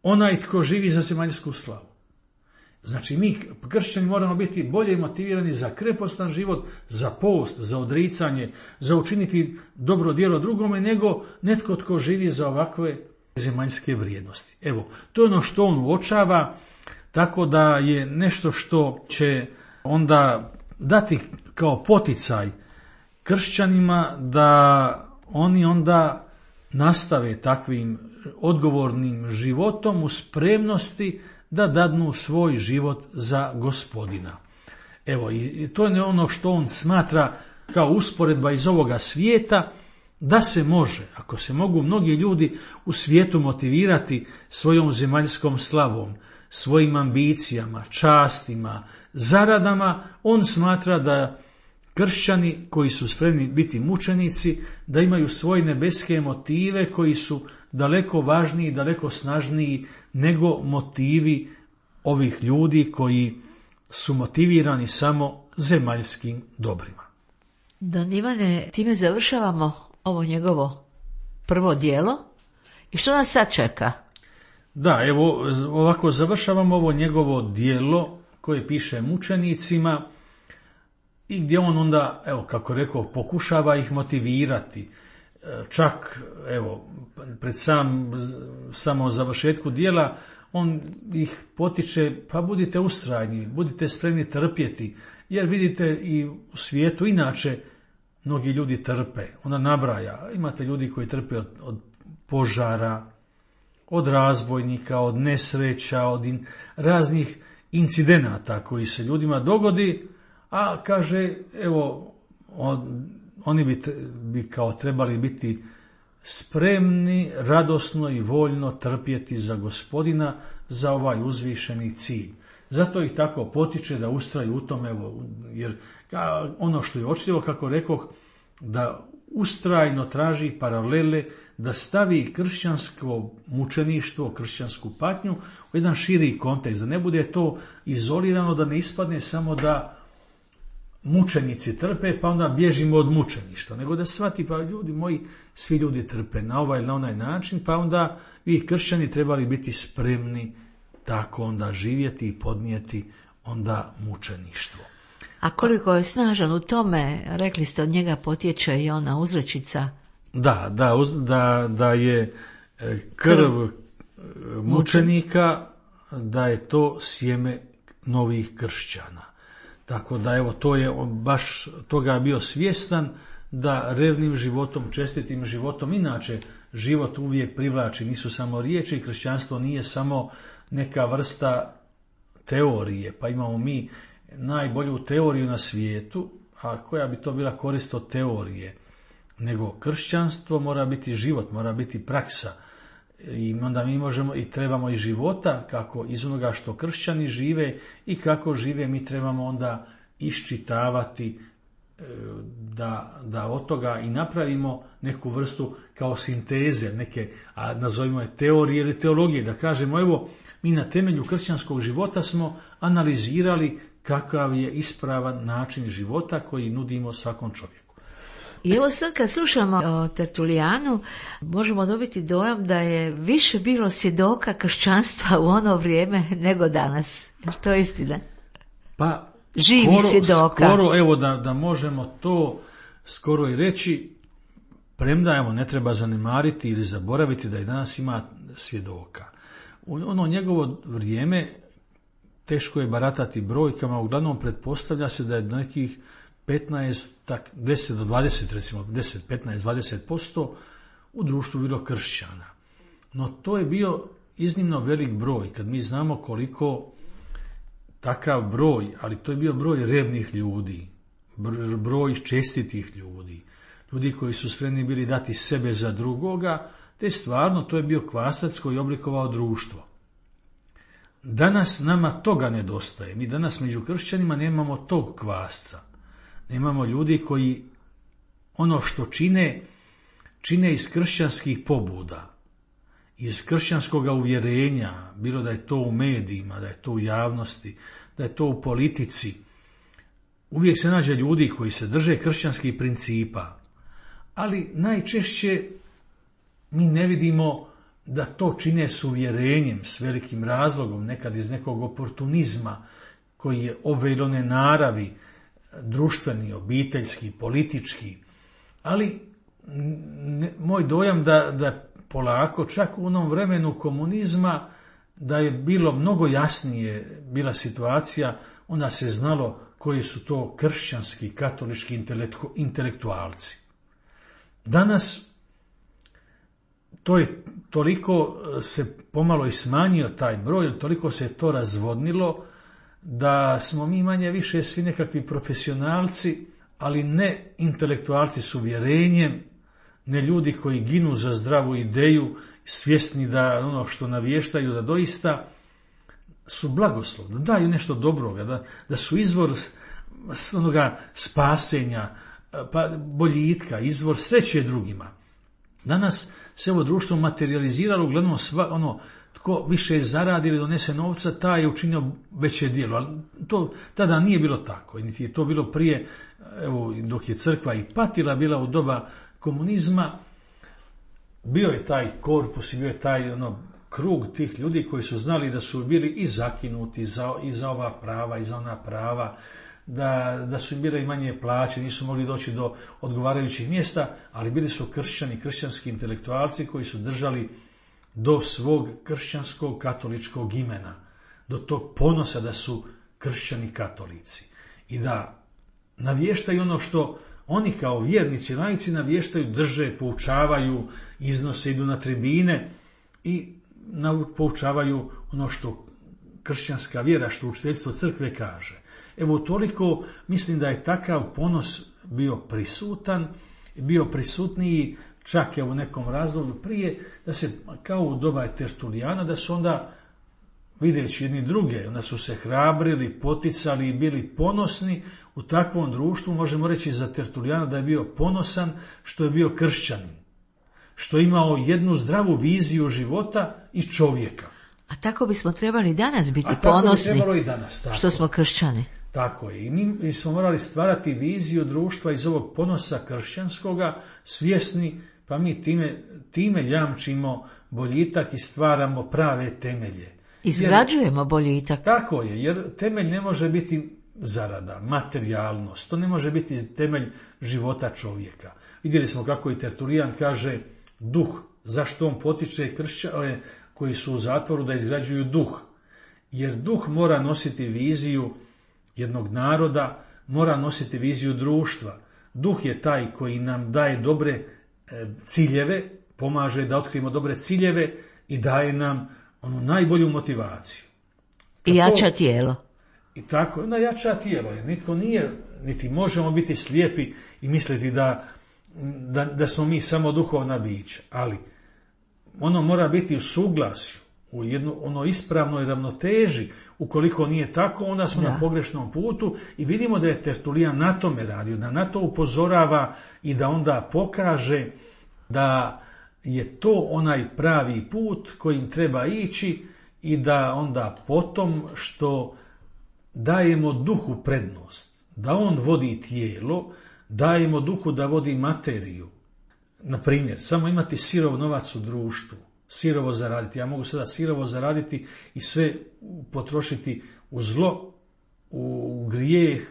onaj tko živi za zemaljsku slavu. Znači mi kršćani moramo biti bolje motivirani za krepostan život, za post, za odricanje, za učiniti dobro djelo drugome nego netko tko živi za ovakve zemaljske vrijednosti. Evo, to je ono što on uočava, tako da je nešto što će onda dati kao poticaj kršćanima da oni onda nastave takvim odgovornim životom u spremnosti da dadnu svoj život za Gospodina. Evo, i to je ono što on smatra kao usporedba iz ovoga svijeta, da se može, ako se mogu mnogi ljudi u svijetu motivirati svojom zemaljskom slavom, svojim ambicijama, častima, zaradama, on smatra da kršćani koji su spremni biti mučenici, da imaju svoje nebeske motive koji su daleko važniji, daleko snažniji nego motivi ovih ljudi koji su motivirani samo zemaljskim dobrima. Don Ivane, time završavamo ovo njegovo prvo djelo. I što nas sad čeka? Da, evo ovako završavamo ovo njegovo djelo koje piše mučenicima i gdje on onda, evo kako rekao, pokušava ih motivirati. Čak, evo, pred samo završetku djela on ih potiče, pa budite ustrajni, budite spremni trpjeti, jer vidite i u svijetu inače mnogi ljudi trpe. Ona nabraja, imate ljudi koji trpe od požara, od razbojnika, od nesreća, od raznih incidenata koji se ljudima dogodi, a kaže, evo, oni bi kao trebali biti spremni, radosno i voljno trpjeti za Gospodina, za ovaj uzvišeni cilj. Zato ih tako potiče da ustraju u tom, evo, jer ono što je očitivo, kako rekoh, da ustrajno traži paralele, da stavi kršćansko mučeništvo, kršćansku patnju u jedan širi kontekst, da ne bude to izolirano, da ne ispadne samo da mučenici trpe, pa onda bježimo od mučeništva, nego da shvati, pa ljudi moji, svi ljudi trpe na ovaj ili na onaj način, pa onda vi kršćani trebali biti spremni tako onda živjeti i podnijeti onda mučeništvo. A koliko je snažan u tome, rekli ste, od njega potječe i ona uzrečica. Da je krv mučenika, da je to sjeme novih kršćana. Tako da evo, to je baš toga bio svjestan, da revnim životom, čestitim životom, inače život uvijek privlači, nisu samo riječi, kršćanstvo nije samo neka vrsta teorije, pa imamo mi najbolju teoriju na svijetu, a koja bi to bila korist od teorije, nego kršćanstvo mora biti život, mora biti praksa. I onda mi možemo i trebamo iz života, kako iz onoga što kršćani žive i kako žive, mi trebamo onda iščitavati da od toga i napravimo neku vrstu kao sinteze, neke, a nazovimo je teorije ili teologije, da kažemo evo mi na temelju kršćanskog života smo analizirali kakav je ispravan način života koji nudimo svakom čovjeku. I evo sad kad slušamo o Tertulijanu, možemo dobiti dojam da je više bilo svjedoka kršćanstva u ono vrijeme nego danas. To je istina. Pa živi svjedoka. Skoro, evo da možemo to skoro i reći, premda evo ne treba zanemariti ili zaboraviti da i danas ima svjedoka. U ono njegovo vrijeme teško je baratati brojkama, uglavnom pretpostavlja se da je nekih 15, 10 do 20, recimo 10, 15, 20% u društvu bilo kršćana. No to je bio iznimno velik broj, kad mi znamo koliko takav broj, ali to je bio broj revnih ljudi, broj čestitih ljudi, ljudi koji su spremni bili dati sebe za drugoga, te stvarno to je bio kvasac koji je oblikovao društvo. Danas nama toga nedostaje. Mi danas među kršćanima nemamo tog kvasca. Nemamo ljudi koji ono što čine iz kršćanskih pobuda, iz kršćanskog uvjerenja, bilo da je to u medijima, da je to u javnosti, da je to u politici. Uvijek se nađe ljudi koji se drže kršćanskih principa, ali najčešće mi ne vidimo da to čine s uvjerenjem, s velikim razlogom, nekad iz nekog oportunizma koji je ove ili one naravi, društveni, obiteljski, politički, ali moj dojam da polako, čak u onom vremenu komunizma, da je bilo mnogo jasnije bila situacija, onda se znalo koji su to kršćanski, katolički intelektualci. Danas to je toliko se pomalo i smanjio taj broj, toliko se to razvodnilo, da smo mi manje više svi nekakvi profesionalci, ali ne intelektualci s uvjerenjem, ne ljudi koji ginu za zdravu ideju, svjesni da ono što navještaju da doista su blagoslov, da daju nešto dobroga, da su izvor onoga spasenja, pa boljitka, izvor sreće drugima. Danas se ovo društvo materializiralo, uglavnom tko više zaradi ili donese novca, taj je učinio veće djelo. Ali to tada nije bilo tako. Niti je to bilo prije, evo, dok je crkva i patila bila u doba komunizma, bio je taj korpus i bio je taj krug tih ljudi koji su znali da su bili i zakinuti i za ova prava i za ona prava, da su im bile i manje plaće, nisu mogli doći do odgovarajućih mjesta, ali bili su kršćani, kršćanski intelektualci koji su držali do svog kršćanskog katoličkog imena, do tog ponosa da su kršćani katolici i da navještaju ono što oni kao vjernici, laici navještaju, drže, poučavaju, iznose, idu na tribine i poučavaju ono što kršćanska vjera, što učiteljstvo crkve kaže. Evo toliko mislim da je takav ponos bio prisutan, bio prisutniji čak u nekom razdoblju prije, da se kao u doba Tertulijana, da su onda videći jedni druge, onda su se hrabrili, poticali i bili ponosni u takvom društvu. Možemo reći za Tertulijana da je bio ponosan što je bio kršćanin, što je imao jednu zdravu viziju života i čovjeka. A tako bismo trebali danas biti ponosni, tako bi trebalo i danas, tako. Što smo kršćani. Tako je. I mi smo morali stvarati viziju društva iz ovog ponosa kršćanskoga, svjesni, pa mi time jamčimo boljitak i stvaramo prave temelje. Izgrađujemo boljitak. Tako je, jer temelj ne može biti zarada, materijalnost, to ne može biti temelj života čovjeka. Vidjeli smo kako i Tertulijan kaže duh, zašto on potiče kršćane koji su u zatvoru da izgrađuju duh. Jer duh mora nositi viziju jednog naroda, mora nositi viziju društva. Duh je taj koji nam daje dobre ciljeve, pomaže da otkrijemo dobre ciljeve i daje nam onu najbolju motivaciju. I jača tijelo. I tako, onda jača tijelo, jer nitko nije, niti možemo biti slijepi i misliti da smo mi samo duhovna bića, ali ono mora biti u suglasju, u ono ispravnoj ravnoteži. Ukoliko nije tako, onda smo na pogrešnom putu i vidimo da je Tertulijan na tome radio, da na to upozorava i da onda pokaže da je to onaj pravi put kojim treba ići i da onda potom što dajemo duhu prednost, da on vodi tijelo, dajemo duhu da vodi materiju. Na primjer, samo imati sirov novac u društvu, sirovo zaraditi. Ja mogu sada sirovo zaraditi i sve potrošiti u zlo, u grijeh,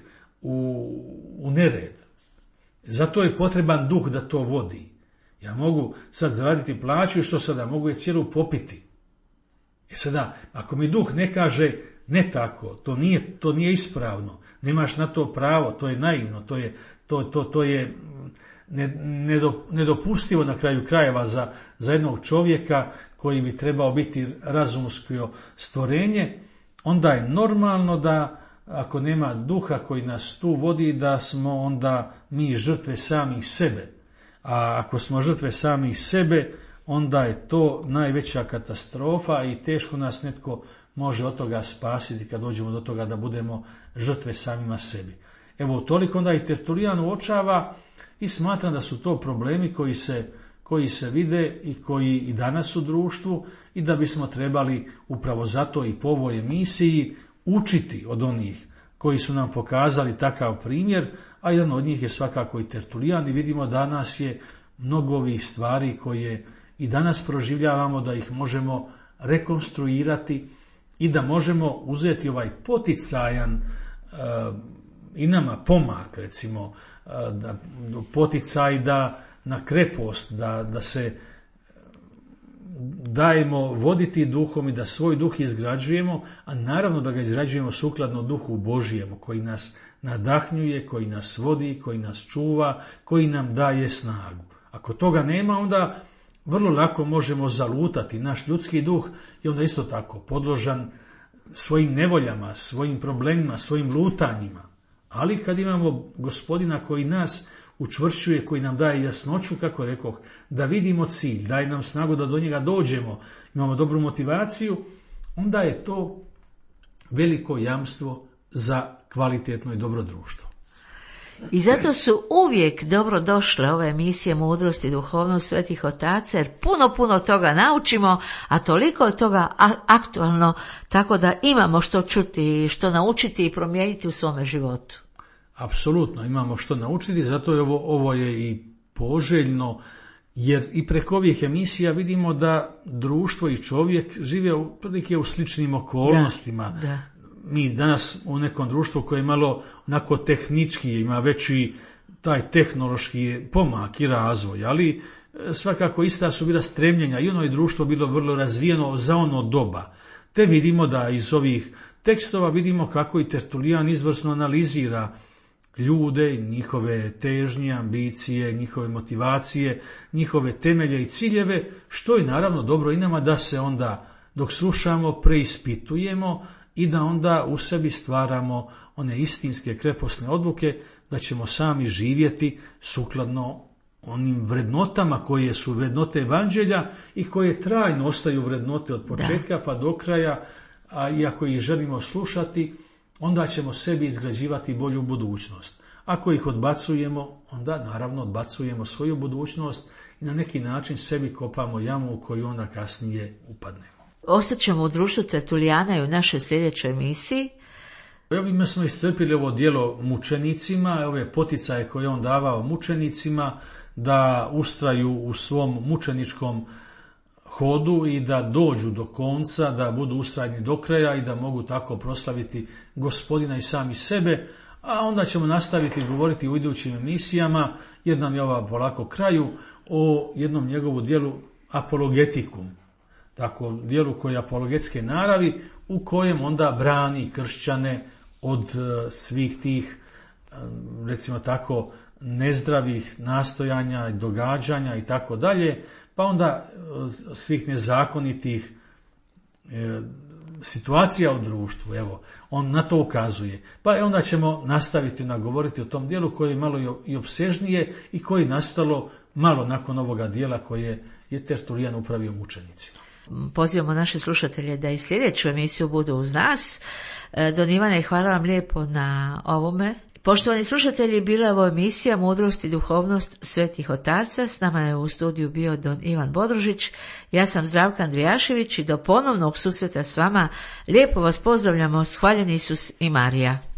u nered. Zato je potreban duh da to vodi. Ja mogu sad zaraditi plaću i što sada? Mogu je cijelu popiti. Sada, ako mi duh ne kaže ne tako, to nije ispravno, nemaš na to pravo, to je naivno, to je nedopustivo na kraju krajeva za jednog čovjeka koji bi trebao biti razumsko stvorenje, onda je normalno da ako nema duha koji nas tu vodi, da smo onda mi žrtve samih sebe. A ako smo žrtve samih sebe, onda je to najveća katastrofa i teško nas netko može od toga spasiti kad dođemo do toga da budemo žrtve samima sebi. Evo, toliko onda i Tertulijan uočava i smatram da su to problemi koji se vide i koji i danas u društvu i da bismo trebali upravo zato i po ovoj emisiji učiti od onih koji su nam pokazali takav primjer, a jedan od njih je svakako i Tertulijan i vidimo danas je mnogo ovih stvari koje i danas proživljavamo da ih možemo rekonstruirati i da možemo uzeti ovaj poticajan i nama pomak, recimo, poticaj da na krepost, da se dajemo voditi duhom i da svoj duh izgrađujemo, a naravno da ga izgrađujemo sukladno duhu Božijemu koji nas nadahnjuje, koji nas vodi, koji nas čuva, koji nam daje snagu. Ako toga nema, onda vrlo lako možemo zalutati. Naš ljudski duh je onda isto tako podložan svojim nevoljama, svojim problemima, svojim lutanjima. Ali kad imamo Gospodina koji nas učvršćuje, koji nam daje jasnoću, kako rekoh, da vidimo cilj, daje nam snagu da do njega dođemo, imamo dobru motivaciju, onda je to veliko jamstvo za kvalitetno i dobro društvo. I zato su uvijek dobro došle ove emisije Mudrost i duhovnost svetih otaca, jer puno toga naučimo, a toliko je toga aktualno, tako da imamo što čuti, što naučiti i promijeniti u svome životu. Apsolutno imamo što naučiti, zato je ovo je i poželjno, jer i preko ovih emisija vidimo da društvo i čovjek žive otprilike u sličnim okolnostima. Da. Mi danas u nekom društvu koje je malo onako tehnički, ima veći taj tehnološki pomak i razvoj, ali svakako ista su bila stremljenja i ono je društvo bilo vrlo razvijeno za ono doba. Te vidimo da iz ovih tekstova vidimo kako i Tertulijan izvrsno analizira ljude, njihove težnje, ambicije, njihove motivacije, njihove temelje i ciljeve, što je naravno dobro i nama da se onda dok slušamo preispitujemo i da onda u sebi stvaramo one istinske kreposne odluke da ćemo sami živjeti sukladno onim vrednotama koje su vrednote evanđelja i koje trajno ostaju vrednote od početka pa do kraja, a i ako ih želimo slušati, onda ćemo sebi izgrađivati bolju budućnost. Ako ih odbacujemo, onda naravno odbacujemo svoju budućnost i na neki način sebi kopamo jamu u koju onda kasnije upadnemo. Ostaćemo u društvu Tertulijana i u našoj sljedećoj emisiji. Ovime smo iscrpili ovo djelo mučenicima, ove poticaje koje on davao mučenicima da ustraju u svom mučeničkom hodu i da dođu do konca, da budu ustrajni do kraja i da mogu tako proslaviti Gospodina i sami sebe, a onda ćemo nastaviti govoriti u idućim emisijama, jer nam je ova polako kraju, o jednom njegovu djelu Apologetikum. Tako, dijelu koje je apologetske naravi, u kojem onda brani kršćane od svih tih, recimo tako, nezdravih nastojanja i događanja i tako dalje, pa onda svih nezakonitih situacija u društvu. Evo, on na to ukazuje. Pa onda ćemo nastaviti govoriti o tom dijelu koje je malo i opsežnije i koje je nastalo malo nakon ovoga dijela koje je Tertulijan upravio mučenicima. Pozivamo naše slušatelje da i sljedeću emisiju budu uz nas. Don Ivane, hvala vam lijepo na ovome. Poštovani slušatelji, bila je ovo emisija Mudrost i duhovnost svetih otaca. S nama je u studiju bio don Ivan Bodružić. Ja sam Zdravka Andrijašević i do ponovnog susreta s vama lijepo vas pozdravljamo. Hvaljeni Isus i Marija.